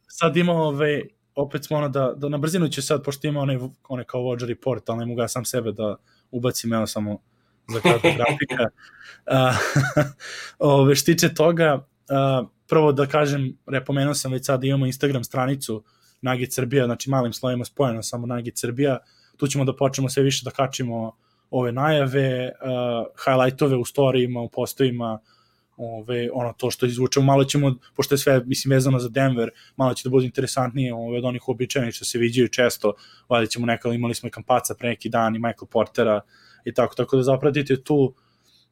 sad imamo, ove, opet smo ono da, da na brzinu će sad, pošto ima onaj, onaj kao vođa report, ali ne mogu ja sam sebe da ubacim, evo samo za kratko grafika. Uh, ove, što tiče toga, uh, prvo da kažem, repomenuo sam već sad da imamo Instagram stranicu Nugget Srbija, znači malim slovima spojeno samo Nugget Srbija, tu ćemo da počnemo sve više da kačimo ove najave, uh, highlightove u storijima, u postovima, ove, ono to što izvučemo, malo ćemo, pošto je sve, mislim, vezano za Denver, malo će da bude interesantnije ove, od onih uobičajenih što se viđaju često, valjda ćemo nekada, imali smo i Kampaca pre neki dan i Michael Portera i tako, tako da zapratite tu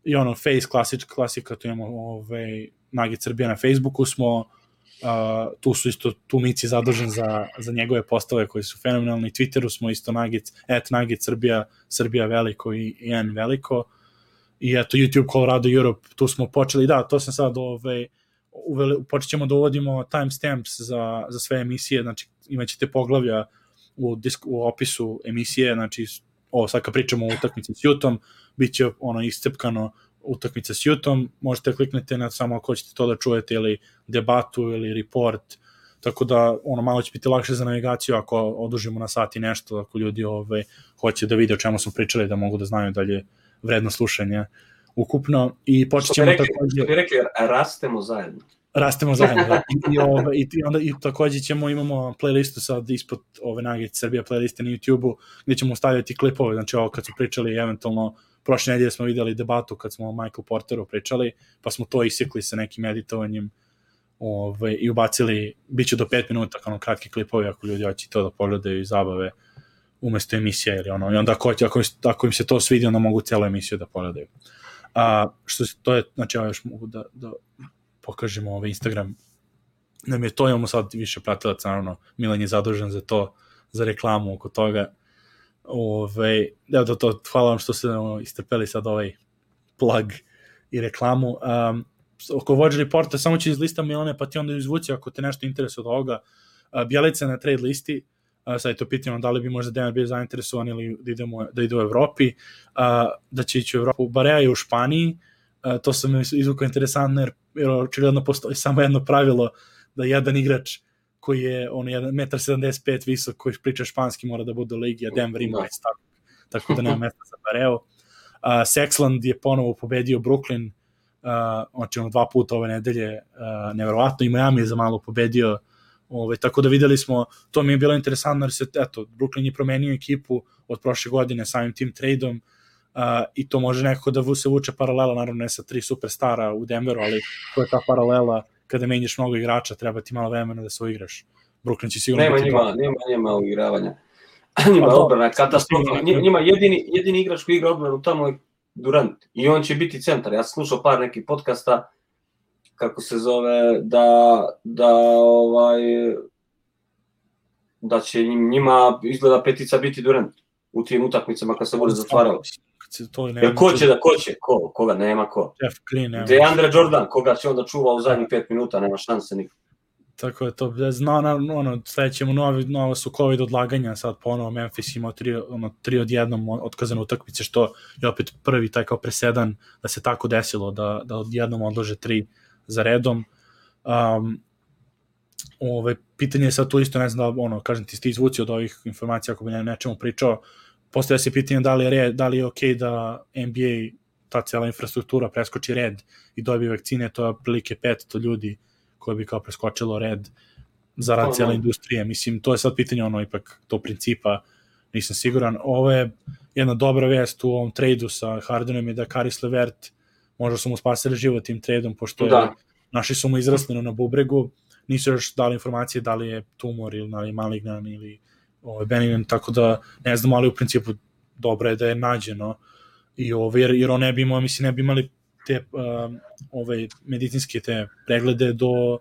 i ono, Face, klasič, klasika, tu imamo ovaj, Nugget Srbija na Facebooku smo, uh, tu su isto, tu Mici zadužen za, za njegove postave koji su fenomenalni, Twitteru smo isto Nugget, et Nugget Srbija, Srbija veliko i, i N veliko, i eto YouTube Colorado Europe, tu smo počeli, da, to sam sad ovaj, uveli, počet ćemo da uvodimo timestamps za, za sve emisije, znači imat ćete poglavlja u, disk, u opisu emisije, znači ovo sad kad pričamo o utakmici s Jutom, bit će ono iscepkano utakmica s Jutom, možete kliknete na samo ako hoćete to da čujete ili debatu ili report, tako da ono malo će biti lakše za navigaciju ako odužimo na sat i nešto, ako ljudi ovaj, hoće da vide o čemu smo pričali, da mogu da znaju dalje vredno slušanje ukupno i počet ćemo rekli, takođe... Što bi rekli, rastemo zajedno. Rastemo zajedno, da. I, i, ove, i, onda, i takođe ćemo, imamo playlistu sad ispod ove Nugget Srbija playliste na YouTube-u, gde ćemo stavljati klipove, znači ovo kad su pričali, eventualno prošle nedelje smo videli debatu kad smo o Michael Porteru pričali, pa smo to isekli sa nekim editovanjem ove, i ubacili, bit će do pet minuta kao kratki klipovi ako ljudi hoće to da pogledaju i zabave umesto emisija ili ono, i onda ako, ako, ako im se to svidi, onda mogu celu emisiju da pogledaju. A, što se, to je, znači ja još mogu da, da pokažemo ovaj Instagram, nam je to, imamo sad više pratilaca, naravno, Milan je zadužen za to, za reklamu oko toga. Ove, da, da, to, hvala vam što ste no, istrpeli sad ovaj plug i reklamu. Um, oko Vođe reporta, samo ću izlistam Milane, pa ti onda izvuci ako te nešto interesuje od ovoga. Uh, Bjelica na trade listi, uh, sad je to pitanje da li bi možda Denver bio zainteresovan ili da, idemo, da ide u Evropi, uh, da će ići u Evropu. Barea je u Španiji, uh, to sam izvukao interesantno, jer, jer očigledno postoji samo jedno pravilo da jedan igrač koji je ono jedan metar sedamdeset pet visok, koji priča španski, mora da bude u ligi, a Denver ima već tako, tako da nema mesta za Bareo. Uh, Sexland je ponovo pobedio Brooklyn, uh, znači ono dva puta ove nedelje, uh, neverovatno, i Miami je za malo pobedio, ove, tako da videli smo, to mi je bilo interesantno, jer se, eto, Brooklyn je promenio ekipu od prošle godine samim tim tradeom, uh, i to može nekako da se vuče paralela, naravno ne sa tri superstara u Denveru, ali to je ta paralela kada menjaš mnogo igrača, treba ti malo vremena da se uigraš. Brooklyn će sigurno... Nema njima, nema njima uigravanja. Njima je odbrana katastrofa. Njima jedini, jedini igrač koji igra odbranu tamo je Durant. I on će biti centar. Ja sam slušao par nekih podcasta, kako se zove, da, da, ovaj, da će njima izgleda petica biti Durant u tim utakmicama kad se bude zatvaralo. Jer ko će da, ko će? Ko? Koga? Nema ko. Jeff Green, nema. DeAndre Jordan, koga će onda čuva u zadnjih pet minuta, nema šanse nikog. Tako je to, zna, ono, sledećemo novi, novo su COVID odlaganja, sad ponovo Memphis imao tri, ono, tri od jednom otkazane utakmice, što je opet prvi taj kao presedan da se tako desilo, da, da od jednom odlože tri za redom. Um, ove, pitanje je sad tu isto, ne znam da, ono, kažem ti, ste izvuci od ovih informacija ako bi ne, nečemu pričao, postavlja se pitanje da li je, red, da li je okej da N B A, ta cijela infrastruktura preskoči red i dobije vakcine, to je prilike petsto ljudi koje bi kao preskočilo red za rad cijele industrije. Mislim, to je sad pitanje, ono, ipak to principa, nisam siguran. Ovo je jedna dobra vest u ovom tradu sa Hardenom je da Karis LeVert, možda su mu spasili život tim tradom, pošto je, da. Naši su mu izrasli na bubregu, nisu još dali informacije da li je tumor ili da li je malignan ili ovaj, benignan, tako da ne znam, ali u principu dobro je da je nađeno i ovo, jer, jer on ne bi imao, mislim, ne bi imali te um, ove medicinske te preglede do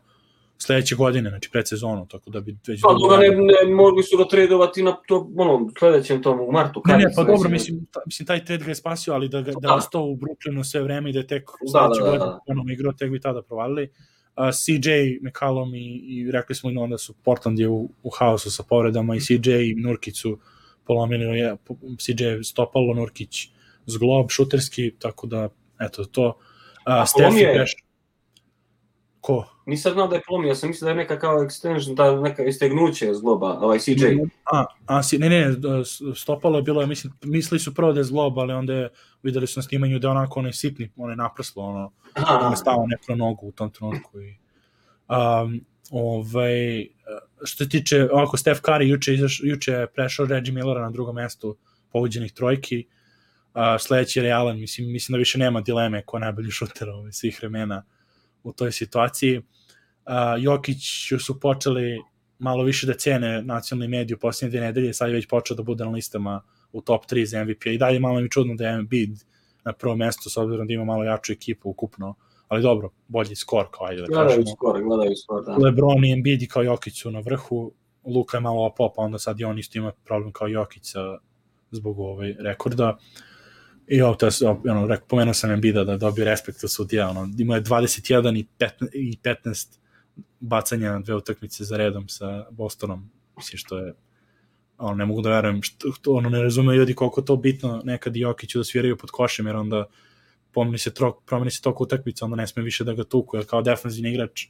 sledeće godine, znači pred sezonu, tako da bi već... Pa dobro, ne, ne mogli su ga tradovati na to, ono, sledećem tomu, u martu. Ne, ne, pa dobro, mislim, ta, mislim, taj trade ga je spasio, ali da, da, da je ostao u Brooklynu sve vreme i da je tek sledeće da, da, da. godine ono igrao, tek bi tada provalili. Uh, C J, McCallum i, i rekli smo i onda su Portland je u, u haosu sa povredama i C J i Nurkić su polomili, je, C J stopalo, Nurkić zglob, šuterski, tako da, eto, to... Uh, Steph je... Peš... Ko? Nisam znao da je polomio, ja sam mislio da je neka kao extension, da neka istegnuće zgloba, ovaj C J. A, a ne, ne, stopalo je bilo, mislim, mislili su prvo da je zglob, ali onda je, videli su na snimanju da je onako onaj sitni, onaj naprslo, ono, ono je stao neko nogu u tom trenutku. I, um, ovaj, što se tiče, ovako, Steph Curry juče, izaš, juče je prešao Reggie Millera na drugom mestu pogođenih trojki, uh, sledeći je Allen, mislim, mislim da više nema dileme ko najbolji šuter ovaj, svih vremena u toj situaciji. Uh, Jokić su počeli malo više da cene nacionalni mediji u posljednje dve nedelje, sad je već počeo da bude na listama u top tri za M V P. I dalje malo mi čudno da je Embiid na prvo mesto, s obzirom da ima malo jaču ekipu ukupno, ali dobro, bolji skor, kao ajde da gledaju kažemo. Skor, gledaju skor, da. LeBron i Embiid i kao Jokić su na vrhu, Luka je malo opao, pa onda sad i on isto ima problem kao Jokić zbog ovaj rekorda. I ovo, ono, pomenuo sam Embida da dobio respekt od sudija, ono, imao je dvadeset jedan i petnaest bacanja na dve utakmice za redom sa Bostonom, mislim što je, ono, ne mogu da verujem, što, ono, ne razumeju ljudi koliko to bitno nekad i Jokiću da sviraju pod košem, jer onda pomeni se, trok, promeni se toliko utakmica, onda ne sme više da ga tuku, jer kao defanzivni igrač,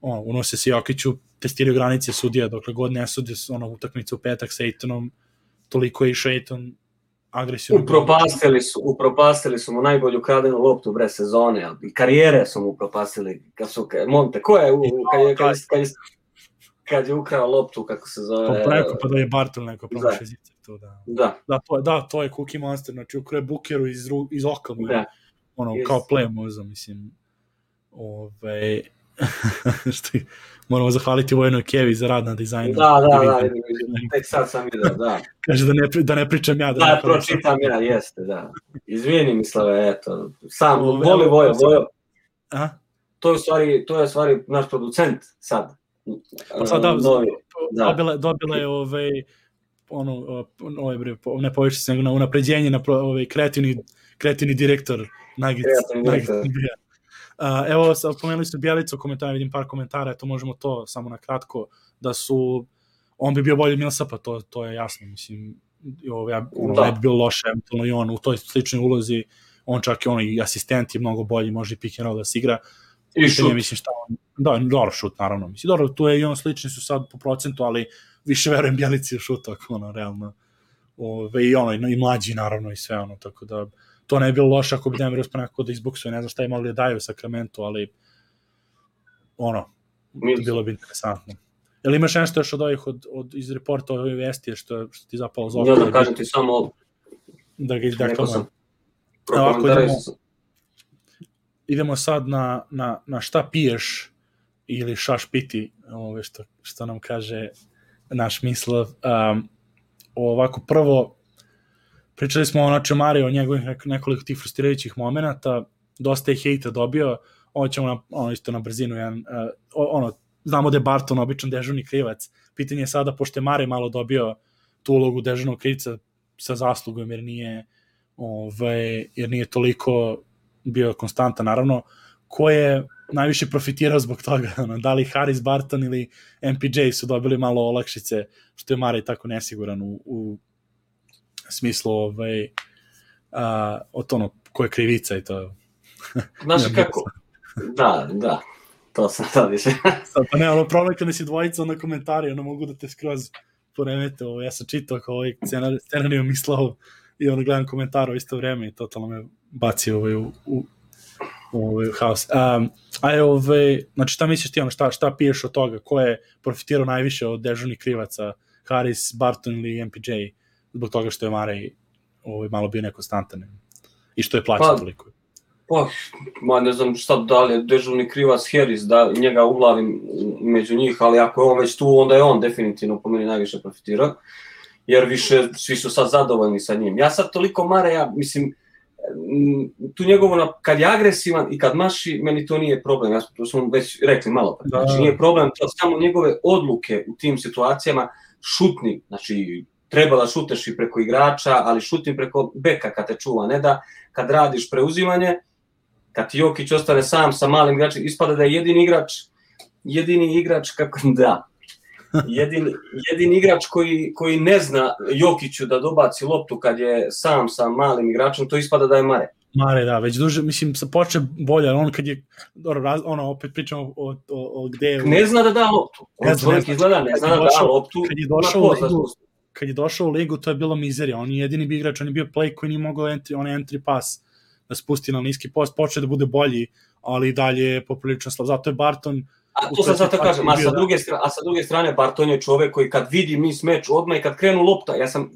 ono, unose se Jokiću, testiraju granice sudija, dokle god ne sudi, ono, utakmica u petak sa Aytonom, toliko je i Ayton agresivno. Upropastili su, upropastili su mu najbolju kradenu loptu bre sezone, i karijere su mu upropastili. Kad su, Monte, ko je, u, kad, je, kad, je, kad, je, kad je ukrao loptu, kako se zove? Pa preko, pa da je Barton neko promaši zice. To, da. Da. Da, to, da, to je Cookie Monster, znači ukrao Bookeru iz, iz oka mu, da. Ono, yes. Kao play moza, mislim. Ove, što moramo zahvaliti Vojnoj Kevi za rad na dizajnu. Da, da, da, tek sad sam vidio, da. Kaže da ne, da ne pričam ja. Da, da pročitam ja, jeste, da. Izvini, Mislave, eto. Sam, Ove, voli Vojo, Vojo. Aha. To je u stvari, to je u stvari naš producent sad. Pa sad da, Novi, da. Dobila, dobila je ovaj, ono, ovaj, bre, ne poviše se nego na unapređenje na ovaj, kreativni, kreativni direktor Nuggets. Kreativni direktor. Uh, evo, pomenuli su Bjelicu u komentara, vidim par komentara, to možemo to samo na kratko, da su, on bi bio bolji od Millsapa, to, to je jasno, mislim, ovo, ja, ono, da. Ne bi bilo loše, eventualno i on u toj sličnoj ulozi, on čak i on i asistent je mnogo bolji, može i pick and roll da se igra. I šut. Mislim, šta on, da, dobro šut, naravno, mislim, dobro, tu je i on slični su sad po procentu, ali više verujem Bjelici u šutu, ako ono, realno, ove, i ono, i mlađi, naravno, i sve ono, tako da, to ne je bilo loše ako bi Denver uspio nekako da izbuksuje, ne znam šta je imali da daju u Sacramento, ali ono, bilo bi interesantno. Jel imaš nešto još od ovih, od, od, iz reporta ove vesti, što, što ti zapalo za oko? Ja da kažem ti samo... Da ga izdeklamujem. Ovako, idemo, idemo sad na, na, na šta piješ ili šaš piti, ove što, što nam kaže naš Mislav. Um, ovako, prvo, pričali smo o Načemari, o njegovih nekoliko tih frustrirajućih momenata, dosta je hejta dobio, ovo ćemo na, ono, isto na brzinu, jedan, uh, ono, znamo da je Barton običan dežurni krivac, pitanje je sada, pošto je Mare malo dobio tu ulogu dežurnog krivca sa zaslugom, jer nije, ove, jer nije toliko bio konstantan, naravno, ko je najviše profitirao zbog toga, ono, da li Harris, Barton ili M P J su dobili malo olakšice, što je Mare tako nesiguran u, u smislu ovaj, a, od ono, ko je krivica i to. Znaš kako? Da, da, to sam sad više. Sad, pa ne, ono, problem kada si dvojica na komentari, ono, mogu da te skroz poremete, ovo, ja sam čitao kao ovaj scenariju Mislav i ono, gledam komentar u isto vreme i totalno me baci ovaj, u, u, u, u haos. Um, a je, ovaj, znači, šta misliš ti, ono, šta, šta piješ od toga, ko je profitirao najviše od dežurnih krivaca, Harris, Barton ili M P J, zbog toga što je Marej ovaj, malo bio nekonstantan i što je plaćan pa, toliko? Pa, ma ne znam šta da li je dežurni krivac Harris, da njega uglavim među njih, ali ako je on već tu, onda je on definitivno po meni najviše profitirao, jer više svi su sad zadovoljni sa njim. Ja sad toliko Mareja, mislim, tu njegovo, kad je agresivan i kad maši, meni to nije problem, ja to smo već rekli malo pre, znači nije problem, to samo njegove odluke u tim situacijama, šutni, znači treba da šuteš i preko igrača, ali šutim preko beka kad te čuva, ne da kad radiš preuzimanje, kad ti Jokić ostane sam sa malim igračem, ispada da je jedini igrač, jedini igrač, kako da, jedini, jedini igrač koji, koji ne zna Jokiću da dobaci loptu kad je sam sa malim igračem, to ispada da je Mare. Mare, da, već duže, mislim, se poče bolje, on kad je, ono, opet pričamo o, o, o gde je... Ne zna da da loptu, on čovjek izgleda, ne zna da da loptu, kad je došao u ligu, kad je došao u ligu, to je bilo mizerija, on je jedini bi igrač, on je bio play koji nije mogao entry, on je entry pass da spusti na niski post, počeo da bude bolji, ali dalje je poprilično slab, zato je Barton... A to sam zato kažem, a sa, druge strane, a sa druge strane Barton je čovek koji kad vidi mis meč odmah i kad krenu lopta, ja sam,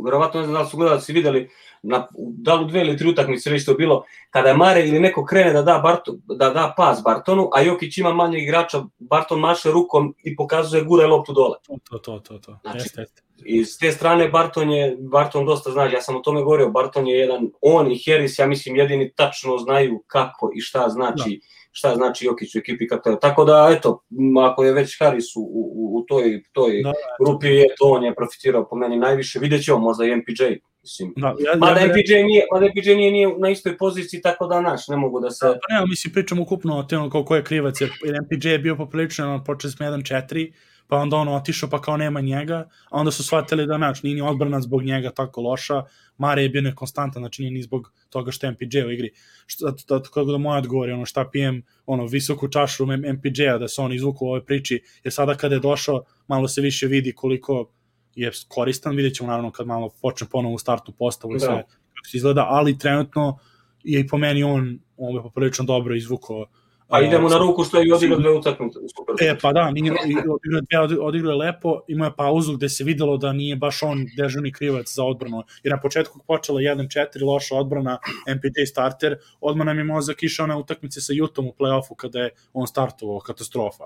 verovatno ne znam da li su gledalci videli, na, da li u dve ili tri utakmice već to bilo, kada je Mare ili neko krene da da, Barton, da da pas Bartonu, a Jokić ima manje igrača, Barton maše rukom i pokazuje gura loptu dole. To, to, to, to. Znači, jeste, jeste. I s te strane Barton je, Barton dosta zna, ja sam o tome govorio, Barton je jedan, on i Harris, ja mislim, jedini tačno znaju kako i šta znači, da. šta znači Jokić u ekipi kako je. Tako da, eto, ako je već Harris u, u, u toj, toj da, grupi, je, to on je profitirao po meni najviše, vidjet ćemo možda i M P J. Mislim. Da, ja, mada, ja, M P J nije, mada M P J nije, nije na istoj poziciji, tako da naš, ne mogu da se... Da, pa ne, mislim, pričamo ukupno o temo ko je krivac, jer M P J je bio poprilično, počeli smo jedan četiri, pa onda ono otišao pa kao nema njega, a onda su shvatili da nač, nije ni odbrana zbog njega tako loša, Mare je bio nekonstantan, znači nije ni zbog toga što je M P J u igri. Što, da, kako da moj odgovor je ono šta pijem, ono, visoku čašu M P J-a da se on izvuku u ovoj priči, jer sada kada je došao, malo se više vidi koliko je koristan, vidjet ćemo naravno kad malo počne ponovo u startnu postavu i sve da. Kako se izgleda, ali trenutno je i po meni on, on je poprilično dobro izvukao. Pa idemo na ruku što je i odigrao dve utakmice. E, pa da, nije, odigrao, odigrao je lepo, imao je pauzu gde se videlo da nije baš on dežurni krivac za odbranu, jer na početku počela jedan četiri, loša odbrana, M P J starter, odmah nam je mozak išao na utakmice sa Jutom u play-offu kada je on startovao, katastrofa.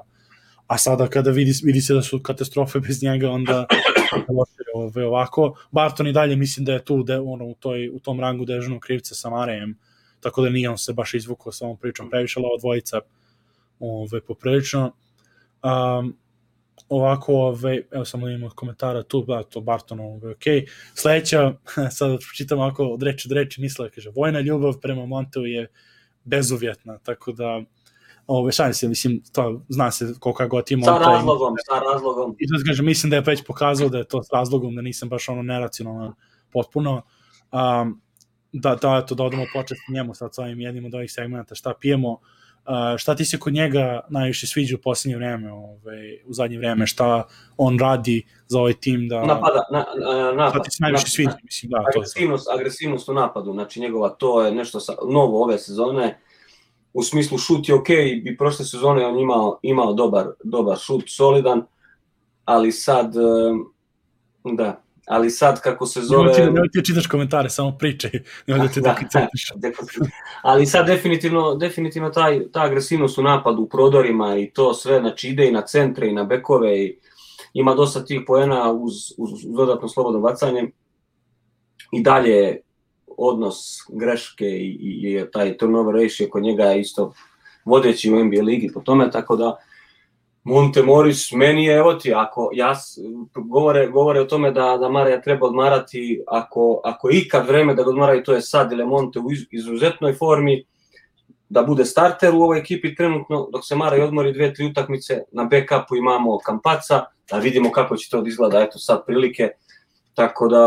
A sada kada vidi, vidi se da su katastrofe bez njega, onda ove, ovako. Barton i dalje mislim da je tu de, ono, u, toj, u tom rangu dežurnog krivca sa Marejem, tako da nije on se baš izvukao sa ovom pričom previše, ali ova dvojica ove, poprilično. Um, ovako, ove, evo samo da imamo komentara tu, da, to Barton, ove, ok. Sledeća, sad čitam ovako od reči od reči, misle, kaže, vojna ljubav prema Monteu je bezuvjetna, tako da ove, šalim se, mislim, to zna se koliko god ima. Sa razlogom, sa razlogom. I to kažem, mislim da je već pokazao da je to s razlogom, da nisam baš ono neracionalno potpuno. Um, da, da, eto, da odemo početi njemu sad s ovim jednim od ovih segmenta, šta pijemo, uh, šta ti se kod njega najviše sviđa u posljednje vreme, ovaj, u zadnje vreme, šta on radi za ovaj tim da... Napada, na, napad. Šta ti se najviše sviđa, mislim, da, agresivnost, to je. Agresivnost u napadu, znači njegova, to je nešto sa, novo ove sezone, u smislu šut je okej, okay, i prošle sezone on imao, imao dobar, dobar šut, solidan, ali sad, da, ali sad kako se zove... Nemoj ti čitaš komentare, samo pričaj, nemoj da ti da koncentriš. Ali sad definitivno, definitivno taj, ta agresivnost u napadu, u prodorima i to sve, znači ide i na centre i na bekove i ima dosta tih poena uz, uz dodatno slobodno bacanje i dalje odnos greške i, i, i taj turnover ratio kod njega je isto vodeći u N B A ligi po tome, tako da Monte Morris, meni je, evo ti, ako ja, govore, govore o tome da, da Mareja treba odmarati, ako, ako je ikad vreme da ga odmaraju, to je sad, ili je Monte u izuzetnoj formi, da bude starter u ovoj ekipi trenutno, dok se Marej odmori dve, tri utakmice, na backupu imamo Kampaca, da vidimo kako će to izgleda, eto sad prilike, tako da...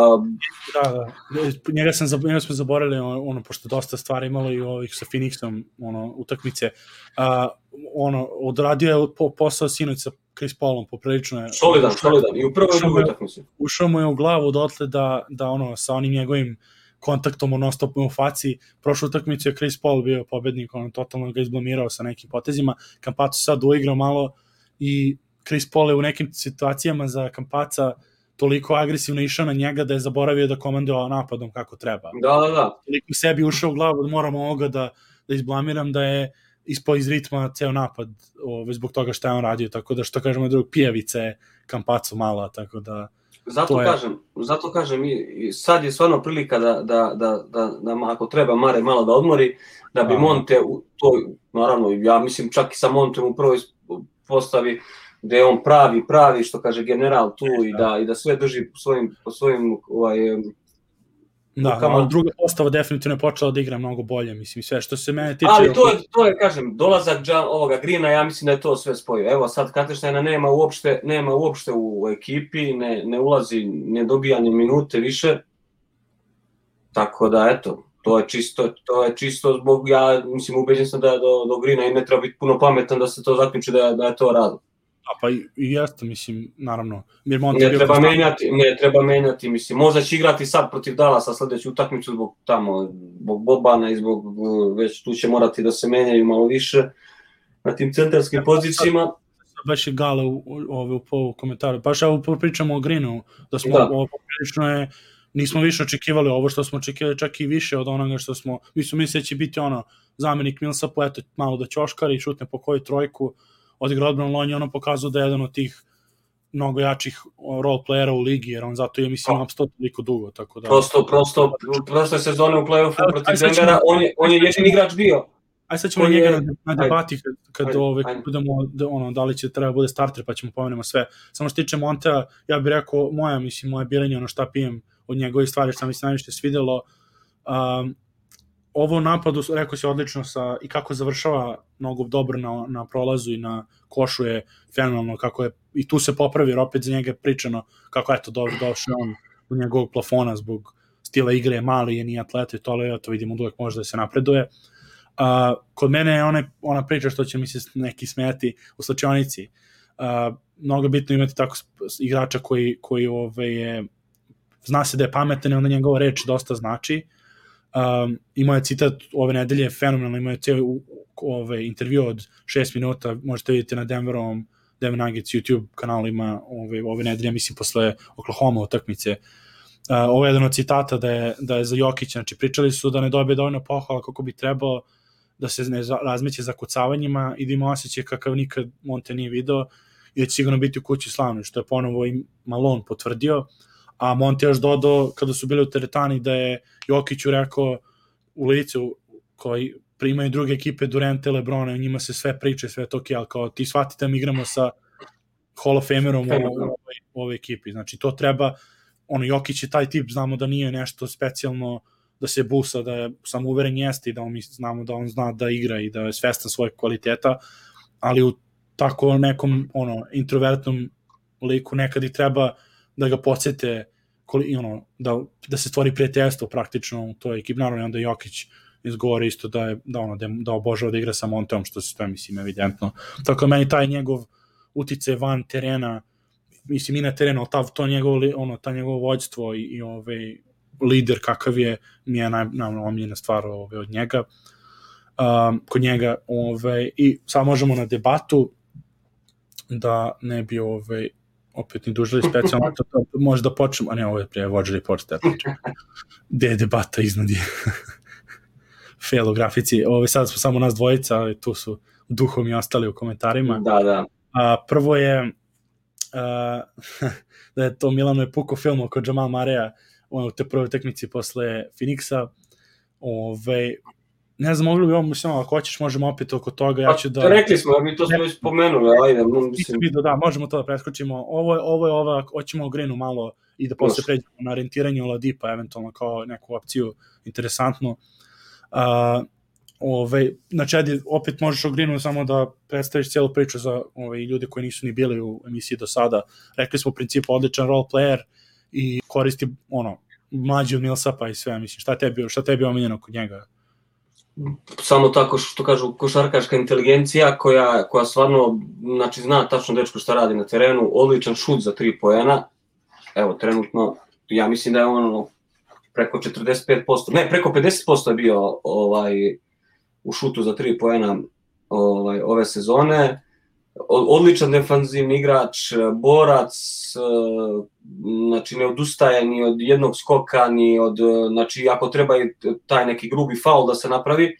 Da, da, njega, sam, njega smo zaboravili, ono, pošto dosta stvari imalo i ovih sa Phoenixom, ono, utakmice, uh, ono, odradio je po, posao sinoć sa Chris Paulom, poprilično je... Solidan, solidan, i u prvoj drugoj utakmici. Ušao mu je u glavu dotle da, da ono, sa onim njegovim kontaktom u non-stopom u faci, prošlu utakmicu je Chris Paul bio pobednik, ono, totalno ga izblamirao sa nekim potezima, Kampacu sad uigrao malo i Chris Paul je u nekim situacijama za Kampaca toliko agresivno išao na njega da je zaboravio da komanduje napadom kako treba. Da, da, da. Toliko sebi ušao u glavu da moram ovoga da, da izblamiram da je ispao iz ritma ceo napad ove, zbog toga što je on radio, tako da što kažemo drug pijavica je Kampacu mala, tako da... Zato je... kažem, zato kažem, i sad je stvarno prilika da, da, da, da, da ako treba Mare malo da odmori, da bi Monte u toj, naravno, ja mislim čak i sa Monteom u prvoj postavi, gde je on pravi, pravi, što kaže general tu i da, i da sve drži po svojim, po svojim ovaj, da, ali druga postava definitivno je počela da igra mnogo bolje, mislim, sve što se mene tiče... Ali to je, to je kažem, dolazak ovoga Greena, ja mislim da je to sve spojio. Evo sad Katerštajna nema uopšte, nema uopšte u ekipi, ne, ne ulazi, ne dobija ni minute više, tako da, eto, to je čisto, to je čisto zbog, ja mislim, ubeđen sam da je do, do Greena i ne treba biti puno pametan da se to zaključi da, da je to razlog. A pa i, i jeste, mislim, naravno. Ne treba menjati, ne treba menjati, mislim, možda će igrati sad protiv Dallasa sledeću utakmicu zbog tamo, zbog Bobana i zbog, već tu će morati da se menjaju malo više na tim centarskim ja, pozicijama. Baš je Gale u, u, u, u komentaru, baš evo pričamo o Greenu, da smo, ovo poprilično je nismo više očekivali ovo što smo očekivali, čak i više od onoga što smo, mi smo mislili da će biti ono, zamjenik Millsapu, eto, malo da ćoškari, šutne po koju trojku, odigra odbranu, on je ono pokazao da je jedan od tih mnogo jačih role playera u ligi, jer on zato je, mislim, apsto toliko dugo, tako da... Prosto, prosto, prosto sezone u play-offu protiv Denvera, on je, on je jedin igrač bio. Aj sad ćemo njega je... na, na debati kad, kad ajde, ove, ajde. budemo, da, ono, da li će treba bude starter, pa ćemo pomenemo sve. Samo što tiče Montea, ja bih rekao, moja, mislim, moje birenje, ono šta pijem od njegove stvari, što mi se najviše svidelo, um, ovo napadu, rekao si odlično sa, i kako završava mnogo dobro na, na prolazu i na košu je fenomenalno, kako je, i tu se popravi, jer opet za njega je pričano kako je to dobro došao on u njegovog plafona zbog stila igre, je mali, je nije atleta i tole, to vidimo da uvek može da se napreduje. Uh, kod mene je ona, ona priča što će mi se neki smijati u slačionici. Uh, mnogo bitno imati tako igrača koji, koji ove, je, zna se da je pametan i onda njegova reč dosta znači. Um, imao je citat ove nedelje, fenomenalno, imao je cijeli ove, intervju od šest minuta, možete vidjeti na Denverovom, Denver Nuggets YouTube kanalima ove, ove nedelje, mislim posle Oklahoma utakmice. Uh, ovo je jedan od citata da je, da je za Jokića, znači pričali su da ne dobije dovoljno pohvala kako bi trebao, da se ne razmeće za kucavanjima i da ima osjećaj kakav nikad Monte nije video i da će sigurno biti u kući slavno, što je ponovo i Malone potvrdio, a Monte još dodao kada su bili u teretani da je Jokiću rekao u licu koji primaju druge ekipe Durante, Lebrona i njima se sve priče, sve to ok, ali kao ti shvatite mi igramo sa Hall of Famerom u ovoj, ovoj ekipi, znači to treba, ono Jokić je taj tip, znamo da nije nešto specijalno da se busa, da je samouveren jeste i da on, mi znamo da on zna da igra i da je svestan svojeg kvaliteta, ali u tako nekom ono, introvertnom liku nekad i treba da ga podsjete ono, da, da se stvori prijateljstvo praktično u toj ekipi, naravno onda Jokić izgovori isto da, je, da, ono, da obožava da igra sa Monteom, što se to je, mislim, evidentno. Tako meni taj njegov utice van terena, mislim i na terenu, ta, to njegovo, ono, ta njegovo vođstvo i, i ovaj lider kakav je, mi je naj, najomiljena stvar ove, od njega. Um, kod njega, ove, i sad možemo na debatu, da ne bi ove, opet ni dužili specijalno, možda počnemo, a ne, ovo je prije Watch Report, da pričam. Gde je debata iznad je? Fail u grafici. Ove, sad smo samo nas dvojica, ali tu su duhom i ostali u komentarima. Da, da. A, prvo je a, da je to Milano je puko film oko Jamal Marea u te prvoj tekmici posle Phoenixa. Ove, ne znam, mogli bi ovo, mislim, ako hoćeš, možemo opet oko toga. Ja ću da... Rekli smo, mi to smo već spomenuli, ajde. Mislim... Da, možemo to da preskočimo. Ovo je, ovo je ova, hoćemo u Grinu malo i da posle pređemo na orijentiranje u Ladipa, eventualno kao neku opciju interesantnu. Uh, ove, znači, ajde, opet možeš u Grinu samo da predstaviš cijelu priču za ove, ljude koji nisu ni bili u emisiji do sada. Rekli smo u principu odličan role player i koristi ono, mlađi od Millsapa i sve, mislim, šta tebi, šta tebi omiljeno kod njega? Samo tako što kažu košarkaška inteligencija koja, koja stvarno, znači zna tačno dečko šta radi na terenu, odličan šut za tri poena, evo trenutno, ja mislim da je ono preko četrdeset pet posto, ne, preko pedeset posto je bio ovaj, u šutu za tri poena ovaj, ove sezone, odličan defanzivni igrač, borac, znači ne odustaje ni od jednog skoka, ni od, znači ako treba i taj neki grubi faul da se napravi,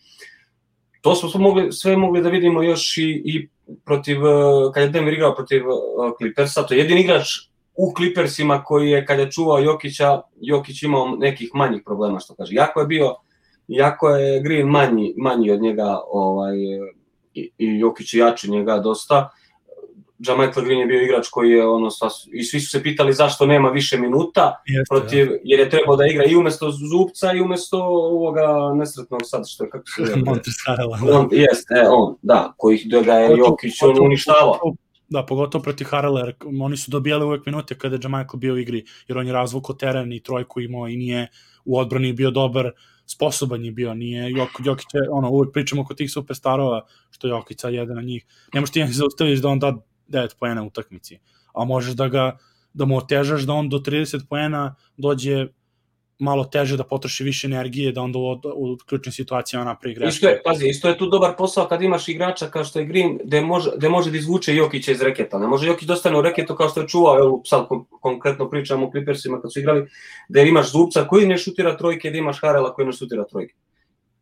to smo mogli, sve mogli da vidimo još i, i protiv, kad je Denver igrao protiv Clippersa, to je jedini igrač u Clippersima koji je, kad je čuvao Jokića, Jokić imao nekih manjih problema, što kaže, jako je bio, jako je Green manji, manji od njega, ovaj, i, i Jokić je jači njega dosta. Jamichael Green je bio igrač koji je ono, i svi su se pitali zašto nema više minuta, Jeste, protiv, ja. jer je trebao da igra i umesto Zubca i umesto ovoga nesretnog sad što je, kako se zove. on, jeste, e, on, da, koji ga je Jokić on uništavao. Da, pogotovo protiv Harrella, jer oni su dobijali uvek minute kada je Jamichael bio u igri, jer on je razvukao teren i trojku imao i nije u odbrani bio dobar, sposoban je bio, nije Jok, Jokić je, ono, uvek pričamo oko tih superstarova, što Jokić sad jedan od njih, ne možeš ti jedan zaustaviš da on da devet poena u utakmici, a možeš da ga, da mu otežaš da on do trideset poena dođe malo teže da potroši više energije, da onda u, u ključnim situacijama napravi greške. Isto je, pazi, isto je tu dobar posao kad imaš igrača kao što je Green, gde može, gde može da izvuče Jokića iz reketa. Ne može Jokić dostane u reketu kao što je čuvao, evo sad konkretno pričamo o Clippersima kad su igrali, gde imaš Zubca koji ne šutira trojke, gde imaš Harela koji ne šutira trojke.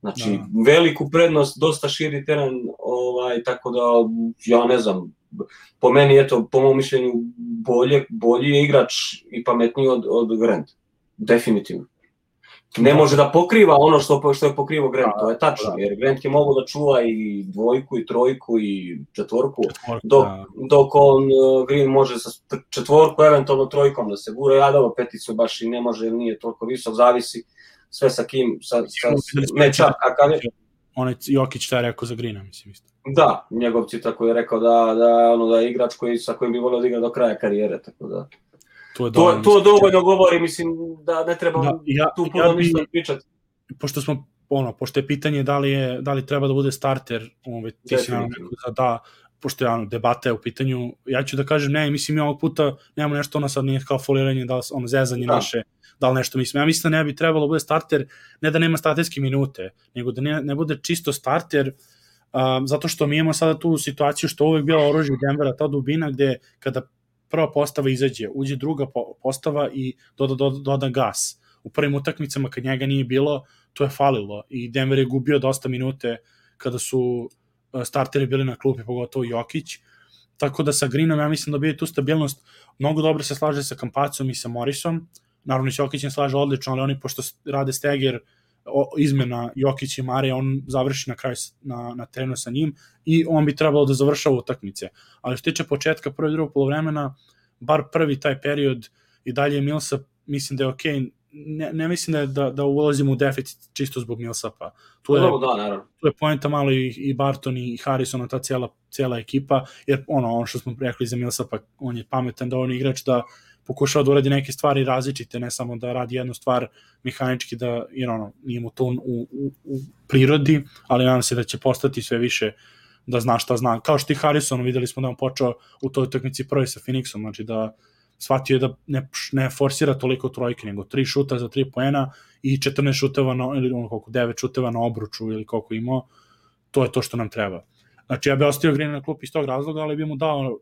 Znači, da. Veliku prednost, dosta širi teren, ovaj, tako da, ja ne znam, po meni, eto, po mom mišljenju, bolje, bolji je igrač i pametniji od, od Grant. Definitivno. Ne može da pokriva ono što, što je pokrivo Grant, to je tačno, jer Grant je mogu da čuva i dvojku, i trojku, i četvorku, dok, dok on, Green može sa četvorku, eventualno trojkom da se gura, ja dobro peticu baš i ne može, nije toliko visok, zavisi sve sa kim, sa, sa meča, kakav je. Onaj Jokić šta je rekao za Greena, mislim isto. Da, njegov tako je rekao da, da, ono, da je igrač koji, sa kojim bi volio da igra do kraja karijere, tako da. To, je dovoljno, to, to dovoljno govori, mislim, da ne treba da, ja, tu puno ja ništa pričati. Pošto smo, ono, pošto je pitanje da li, je, da li treba da bude starter, ove, ti si nam rekao da da, pošto je ono, debata je u pitanju, ja ću da kažem ne, mislim, ja ovog puta nemamo nešto, ono sad nije kao foliranje, da li, ono, zezanje da. naše, da li nešto mislim. Ja mislim da ne bi trebalo da bude starter, ne da nema starterske minute, nego da ne, ne bude čisto starter, um, zato što mi imamo sada tu situaciju što uvek bila oružje Denvera, ta dubina gde kada prva postava izađe, uđe druga postava i doda, doda, doda gas. U prvim utakmicama kad njega nije bilo, to je falilo i Denver je gubio dosta minute kada su starteri bili na klupi, pogotovo Jokić. Tako da sa Greenom ja mislim da bi tu stabilnost, mnogo dobro se slaže sa Campazom i sa Morrisom, naravno i Jokić ne slaže odlično, ali oni pošto rade steger izmena Jokić i Mare, on završi na kraju na, na terenu sa njim i on bi trebalo da završava utakmice. Ali što tiče početka prvo i drugog polovremena, bar prvi taj period i dalje Millsap, mislim da je okej, okay. ne, ne mislim da, je, da, da ulazimo u deficit čisto zbog Millsapa. Tu je, da, tu je poenta malo i, i Barton i Harrison, ta cijela, cijela ekipa, jer ono, ono što smo rekli za Millsapa, on je pametan da on igrač da pokušava da uradi neke stvari različite, ne samo da radi jednu stvar mehanički, da, jer ono, nije mu to u, u, u prirodi, ali nadam se da će postati sve više da zna šta zna. Kao što i Harrison, videli smo da on počeo u toj utakmici prvi sa Phoenixom, znači da shvatio je da ne, ne forsira toliko trojke, nego tri šuta za tri poena i četrnaest šuteva, na, ili ono koliko, devet šuteva na obruču ili koliko imao, to je to što nam treba. Znači ja bih ostavio Green na klupi iz tog razloga, ali bi mu dao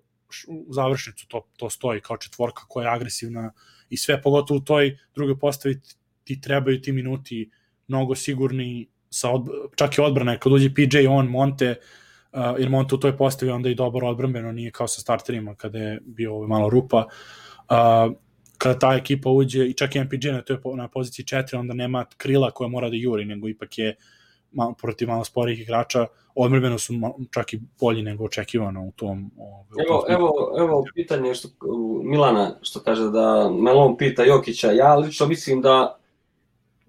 u završnicu, to, to stoji kao četvorka koja je agresivna i sve, pogotovo u toj drugoj postavi ti trebaju ti minuti mnogo sigurni, sa od, čak i odbrana, kad uđe P J, on, Monte, uh, jer Monte u toj postavi onda i dobro odbrambeno, nije kao sa starterima kada je bio ovaj malo rupa. Uh, kada ta ekipa uđe, i čak i M P J na, toj, na poziciji četiri, onda nema krila koja mora da juri, nego ipak je malo, protiv malo sporijih igrača, odmrbeno su čak i bolji nego očekivano u tom. U evo, tom evo, evo pitanje što Milana što kaže da Melon pita Jokića, ja lično mislim da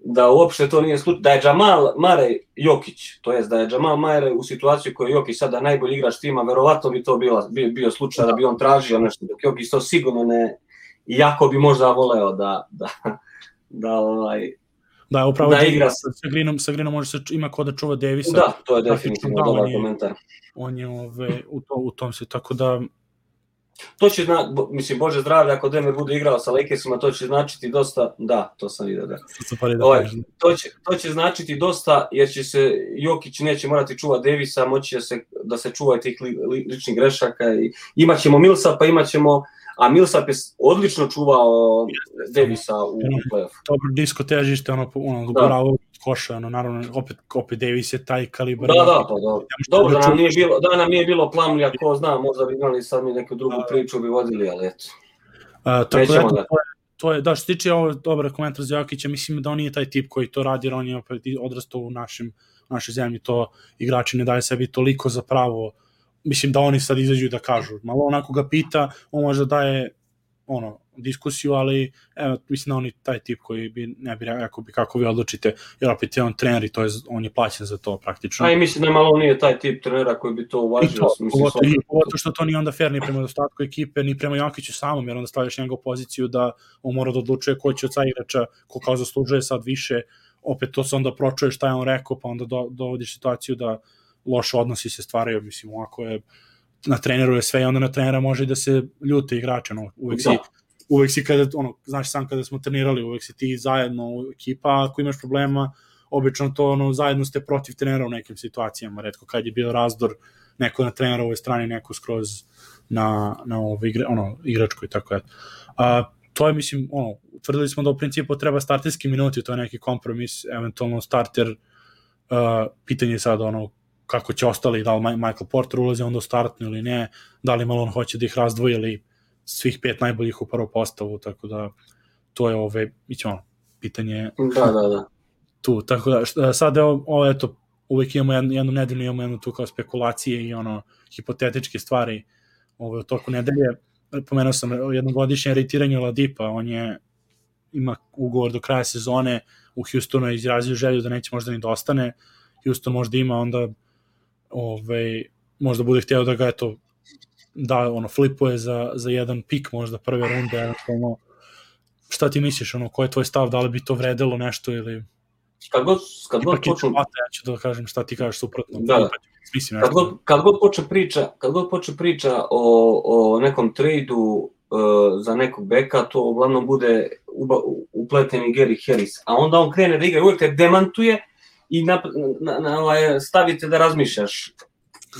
da uopšte to nije slučaj, da je Jamal Murray Jokić, to jest da je Jamal Murray u situaciji koju je Jokić sada najbolji igrač tima, verovatno bi to bila, bio, bio slučaj da bi on tražio nešto, dok Jokić to sigurno ne, iako bi možda voleo da da, da ovaj Da, upravo da igra sa, sa Greenom, sa Greenom može se ima ko da čuva Davisa. Da, to je definitivno dobar komentar. On je ove, u, to, u tom se, tako da... To će, zna, mislim, Bože zdravlje, ako Denver bude igrao sa Lakersima, to će značiti dosta, da, to sam vidio, da. da Oj, to, će, to će značiti dosta, jer će se, Jokić neće morati čuvati Davisa, moći se, da se čuva tih li, li, ličnih grešaka, i imaćemo Millsapa, imaćemo, a Millsap je odlično čuvao Davisa u play-offu. Dobro, disko težište, ono, ono, gurao koša, ono, naravno, opet, opet Davis je taj kalibar. Da, da, pa dobro. Dobro, da nam nije bilo, da nam nije bilo Plumlee, ko zna, možda bi imali sad mi neku drugu priču, bi vodili, ali eto. A, tako da, to je, to je, da, što tiče ovo dobar komentar za Jokića, mislim da on nije taj tip koji to radi, jer on je opet odrastao u našim, našoj zemlji, to igrači ne daje sebi toliko za pravo, mislim da oni sad izađu da kažu, malo onako ga pita, on možda daje ono, diskusiju, ali evo, mislim da on je taj tip koji bi, ne bi rekao bi kako vi odlučite, jer opet je on trener i to je, on je plaćen za to praktično. A i mislim da malo nije taj tip trenera koji bi to uvažio. Pogotovo što to nije onda fair ni prema ostatku ekipe, ni prema Jokiću samom, jer onda stavljaš njegovu poziciju da on mora da odlučuje ko će od sa igrača, ko kao zaslužuje sad više, opet to se onda pročuje šta je on rekao, pa onda do, dovodiš situaciju da loše odnosi se stvaraju, mislim, ovako je na treneru je sve i onda na trenera može i da se ljute igrače, no, uvek, si, uvek si kada, ono, znaš sam kada smo trenirali, uvek si ti zajedno ekipa, ako imaš problema, obično to, ono, zajedno ste protiv trenera u nekim situacijama, retko kad je bio razdor, neko na trenerovoj strani, neko skroz na, na ovo igre, ono, igračko i tako je. A, to je, mislim, ono, utvrdili smo da u principu treba starterski minuti, to je neki kompromis, eventualno starter, uh, pitanje je sad, ono, kako će ostali, da li Michael Porter ulazi onda u startnu ili ne, da li Malone hoće da ih razdvoji ili svih pet najboljih u prvu postavu, tako da to je ove, mislim, ono, pitanje da, da, da. tu, tako da sad je ovo, eto, uvek imamo jednu, jednu nedeljnu, imamo jednu tu kao spekulacije i ono, hipotetičke stvari ove, u toku nedelje. Pomenuo sam jednogodišnje retiranju Ladipa, on je ima ugovor do kraja sezone, u Houstonu je izrazio želju da neće možda ni da ostane, Houston možda ima, onda ove, možda bude hteo da ga eto da ono flipuje za, za jedan pik možda prve runde, eventualno. Šta ti misliš, ono, ko je tvoj stav, da li bi to vredelo nešto ili... Kad god, kad god počnu... Ja ću da kažem šta ti kažeš suprotno. Da, mislim, kad, god, kad god počne priča, kad god počne priča o, o nekom trejdu uh, za nekog beka, to uglavnom bude uba, upleten i Gary Harris, a onda on krene da igra, uvek te demantuje i na, na, na, na, stavite da razmišljaš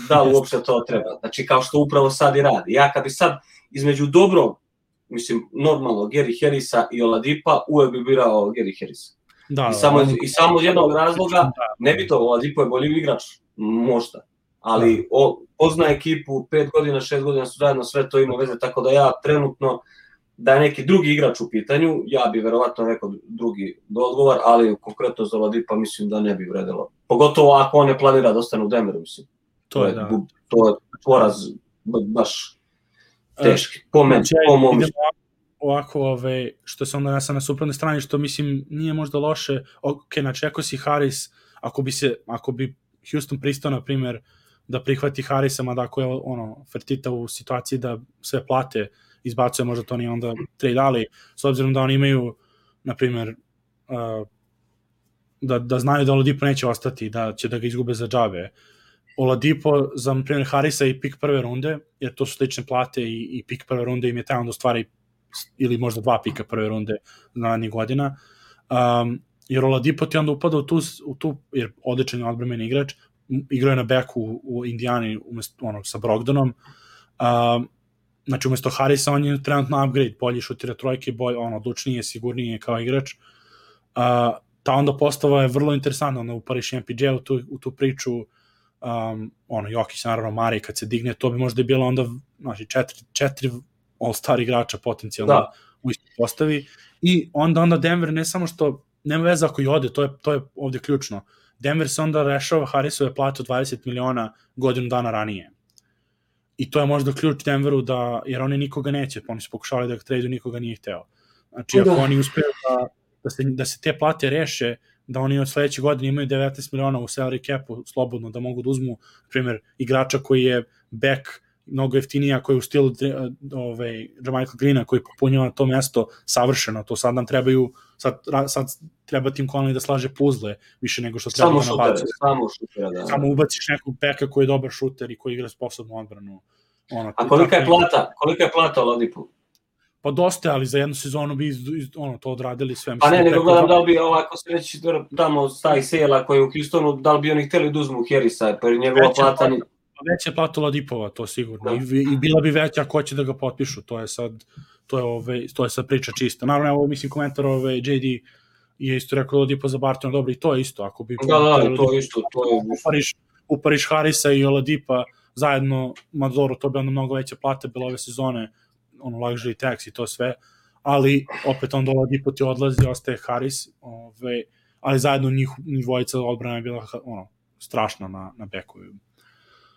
da li uopšte to treba. Znači, kao što upravo sad i radi. Ja kad bi sad između dobrog, mislim, normalno, Gary Harrisa i Oladipa, uvek bi birao Gary Harrisa. Da, I, samo, da, I samo iz jednog razloga, ne bi to, Oladipo je bolji igrač, možda, ali o, pozna ekipu, pet godina, šest godina su zajedno, sve to ima veze, tako da ja trenutno, da je neki drugi igrač u pitanju, ja bi verovatno rekao drugi odgovor, ali konkretno za Oladipa mislim da ne bi vredelo. Pogotovo ako on ne planira da ostane u Denveru, mislim. To je, da. to je poraz baš teški, po meni, po mom mišljenju. Ovako, ove, što se onda nasa na suprotnoj strani, što mislim nije možda loše, ok, znači ako si Harris, ako bi se, ako bi Houston pristao, na primjer, da prihvati Harrisa, mada ako je ono, Fertita u situaciji da sve plate izbacuje, možda to nije onda trade, ali s obzirom da oni imaju, na primjer, uh, da, da znaju da Oladipo neće ostati, da će da ga izgube za džabe, Oladipo za, na primjer, Harrisa i pik prve runde, jer to su slične plate i, i pik prve runde im je taj onda stvari ili možda dva pika prve runde narednih godina, um, jer Oladipo ti onda upada u tu, u tu jer odličan je odbrambeni igrač, igrao je na beku u, u Indijani umesto, ono, sa Brogdonom, um, znači umesto Harrisa on je trenutno upgrade, bolji šutira trojke, bolj, ono, odlučnije, sigurnije kao igrač, uh, ta onda postava je vrlo interesantna, onda upariš M P J u tu, u tu priču, um, ono, Jokić, naravno, Mari, kad se digne, to bi možda je bilo onda, znači, četiri, četiri all-star igrača potencijalno da. U istoj postavi i onda onda Denver ne samo što nema veze ako i ode, to je, to je ovde ključno. Denver se onda rešava Harrisove plate od dvadeset miliona godinu dana ranije. I to je možda ključ Denveru da, jer oni nikoga neće, pa oni su pokušali da ga tradu, nikoga nije hteo. Znači ako da. Oni uspeju da, da, se, da se te plate reše, da oni od sledeće godine imaju devetnaest miliona u salary capu slobodno, da mogu da uzmu, na primjer, igrača koji je back mnogo jeftinija, koji je u stilu ovaj, Jermichael Greena, koji popunjava to mesto savršeno, to sad nam trebaju, sad, sad treba Tim Connelly da slaže puzle, više nego što treba samo da nabacuje. Samo šuter, da. Samo ubaciš nekog beka koji je dobar šuter i koji igra sposobnu odbranu. Ono, a kolika je plata? Kolika je plata Oladipu? Pa dosta, ali za jednu sezonu bi iz, iz, ono, to odradili sve. Pa ne, nego gledam da li bi ovako se već tamo stavi Sela koji je u Houstonu, da li bi oni hteli da uzmu Harrisa, pa njegova plata... Ni... Veća plata Oladipova, to sigurno. I, I bila bi veća ako hoće da ga potpišu. To je sad, to je, ove, to je sad priča čista. Naravno, evo, mislim, komentar ove, J D je isto rekao Oladipo za Bartona, dobro, i to je isto. Ako bi da, da, to je isto. To je... Upariš, upariš Harrisa i Oladipa zajedno, Madoro, to bi onda mnogo veće plate bilo ove sezone, ono, luxury tax i to sve, ali opet onda Oladipo ti odlazi, ostaje Harris, ove, ali zajedno njih, njih dvojica odbrana je bila ono, strašna na, na beku.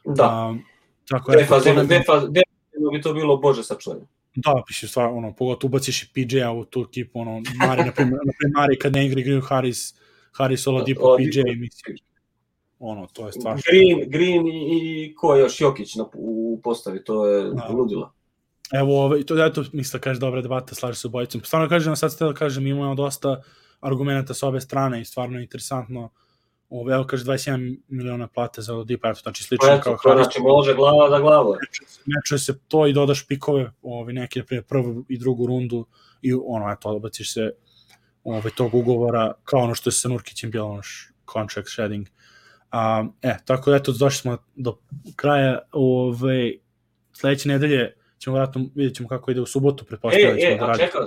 Da, um, tako je. Defazivno bi to bilo bože sačuvanje. Da, piše stvar, ono, pogotovo ubaciš i P J-a u tu ekipu, ono, Mari, na primjer, Mari kad ne igra, igraju Harris, Harris, Oladipo, P J, mislim, ono, to je stvar. Green, Green i, i ko je još, Jokić na, u postavi, to je da. Ludilo. Evo, ovaj, to je to, mislim da kaže dobra debata, slaže se obojicom. Stvarno kažem, sad ste da kažem, imamo dosta argumenta sa obe strane i stvarno je interesantno Ovo, evo kaže dvadeset jedan miliona plate za Oladipo, eto, znači slično eto, kao Harris. Znači može glava da glava. Mečuje se to i dodaš pikove, ovi, neke, na primjer, prvu i drugu rundu i ono, eto, odbaciš se ovaj, tog ugovora, kao ono što je sa Nurkićem bilo, ono contract shedding. Um, e, tako da, eto, došli smo do kraja, ovaj, sledeće nedelje ćemo vratno, vidjet ćemo kako ide u subotu, pretpostavljamo. E, e, da a čekaj,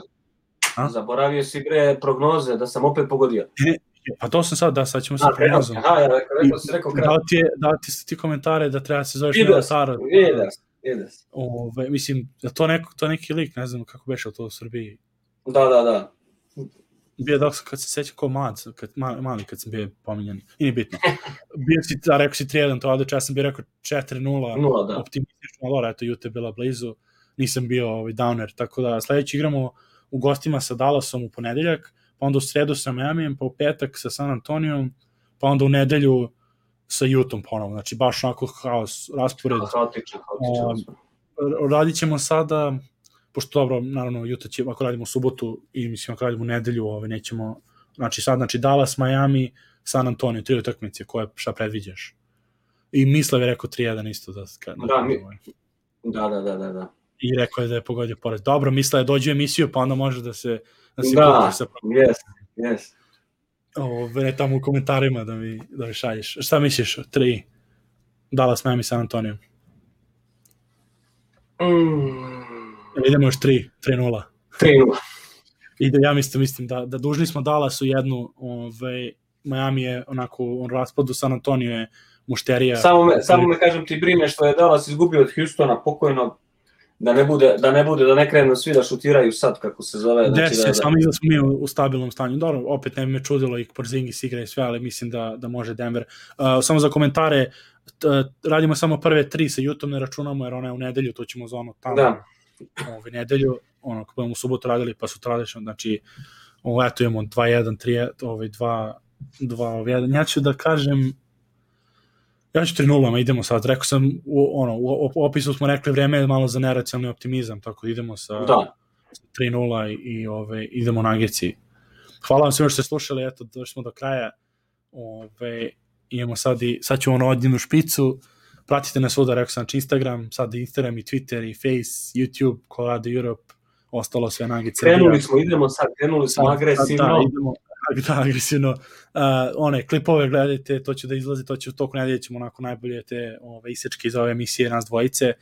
zaboravio si bre prognoze, da sam opet pogodio. E, pa to sam sad, da, sad ćemo se prognozom. Aha, ja rekao, rekao si, rekao kratko. Da ti, je, da ti ti komentare da treba se zoveš Nela Sara. Vides, vides. Ove, mislim, da to, neko, to neki lik, ne znam kako beše to u Srbiji. Da, da, da. Bio dok sam, kad se sećam kao mlad, kad, mali kad sam bio pominjan. I nije bitno. Bio si, da, rekao si tri jedan, to odliče, ja sam bio rekao četiri nula, optimistično, ali eto, Utah je bila blizu. Nisam bio ovaj, downer, tako da sledeći igramo u gostima sa Dallasom u ponedeljak, pa onda u sredu sa Miamijem, pa u petak sa San Antonijom, pa onda u nedelju sa Utahom ponovno, znači baš onako haos, raspored. Haotično, haotično. Um, radit ćemo sada, pošto dobro, naravno, Utah će, ako radimo u subotu i mislim, ako radimo u nedelju, ovaj, nećemo, znači sad, znači Dallas, Miami, San Antonio, tri utakmice, koje šta predviđaš? I Mislav je rekao tri jedan isto. Da, da, da, mi... da, da, da, da, da. I rekao je da je pogodio pored. Dobro, Mislav je dođe u emisiju, pa onda može da se da, se da sa... yes, yes. Ove, ne tamo u komentarima da mi, da mi šalješ. Šta misliš? Tri. Dallas, Miami, San Antonio. Mm. Idemo još tri. tri nula. tri nula. Ide, ja mislim, mislim da, da dužni smo Dallasu jednu. Ove, Miami je onako on raspadu, San Antonio je mušterija. Samo me, samo me kažem ti brine što je Dallas izgubio od Houstona pokojno. Da ne bude, da ne bude, da ne krenu svi da šutiraju sad, kako se zove. Znači, Desi, da, da... samo izgled smo mi u, u stabilnom stanju. Dobro, opet ne bi me čudilo i Porzingis igra i sve, ali mislim da, da može Denver. Uh, samo za komentare, t, radimo samo prve tri sa Utahom, ne računamo, jer ona je u nedelju, to ćemo za ono tamo. Da. Ove nedelju, ono, kako budemo u subotu radili, pa su tradično, znači, ovo, eto imamo dva jedan, tri, ovaj, dva, dva, jedan. Ja ću da kažem, ja ću tri nula, idemo sad, rekao sam, u, ono, u opisu smo rekli vreme je malo za neracionalni optimizam, tako idemo sa da. tri nula i, i ove, idemo na Ageci. Hvala vam svima što ste slušali, eto, došli smo do kraja, ove, imamo sad i, sad ću ono odinu špicu, pratite nas svuda, rekao sam, znači Instagram, sad Instagram i Twitter i Face, YouTube, Colorado Europe, ostalo sve na Ageci. Krenuli smo, idemo sad, krenuli smo sad, agresivno. Da, idemo, da, agresivno. Uh, one klipove gledajte, to će da izlazi, to će u toku nedelje ćemo onako najbolje te ove, isečke iz ove emisije nas dvojice.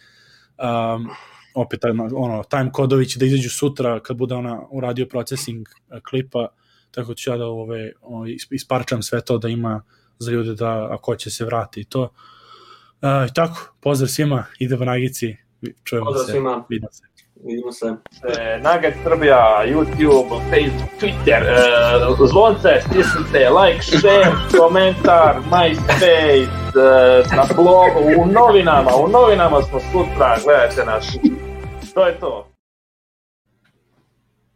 Um, opet ono, time kodovi će da izađu sutra kad bude ona uradio processing klipa, tako ću ja da ove, ove, isparčam sve to da ima za ljude da ako će se vrati i to. Uh, tako, pozdrav svima, idemo na Agici, čujemo pozdrav se, svima. vidimo se. Vidimo se. E, Nugget Srbija, YouTube, Facebook, Twitter, e, zvonce, stisnite, like, share, komentar, MySpace, e, na blogu, u novinama, u novinama smo sutra, gledajte nas. To je to.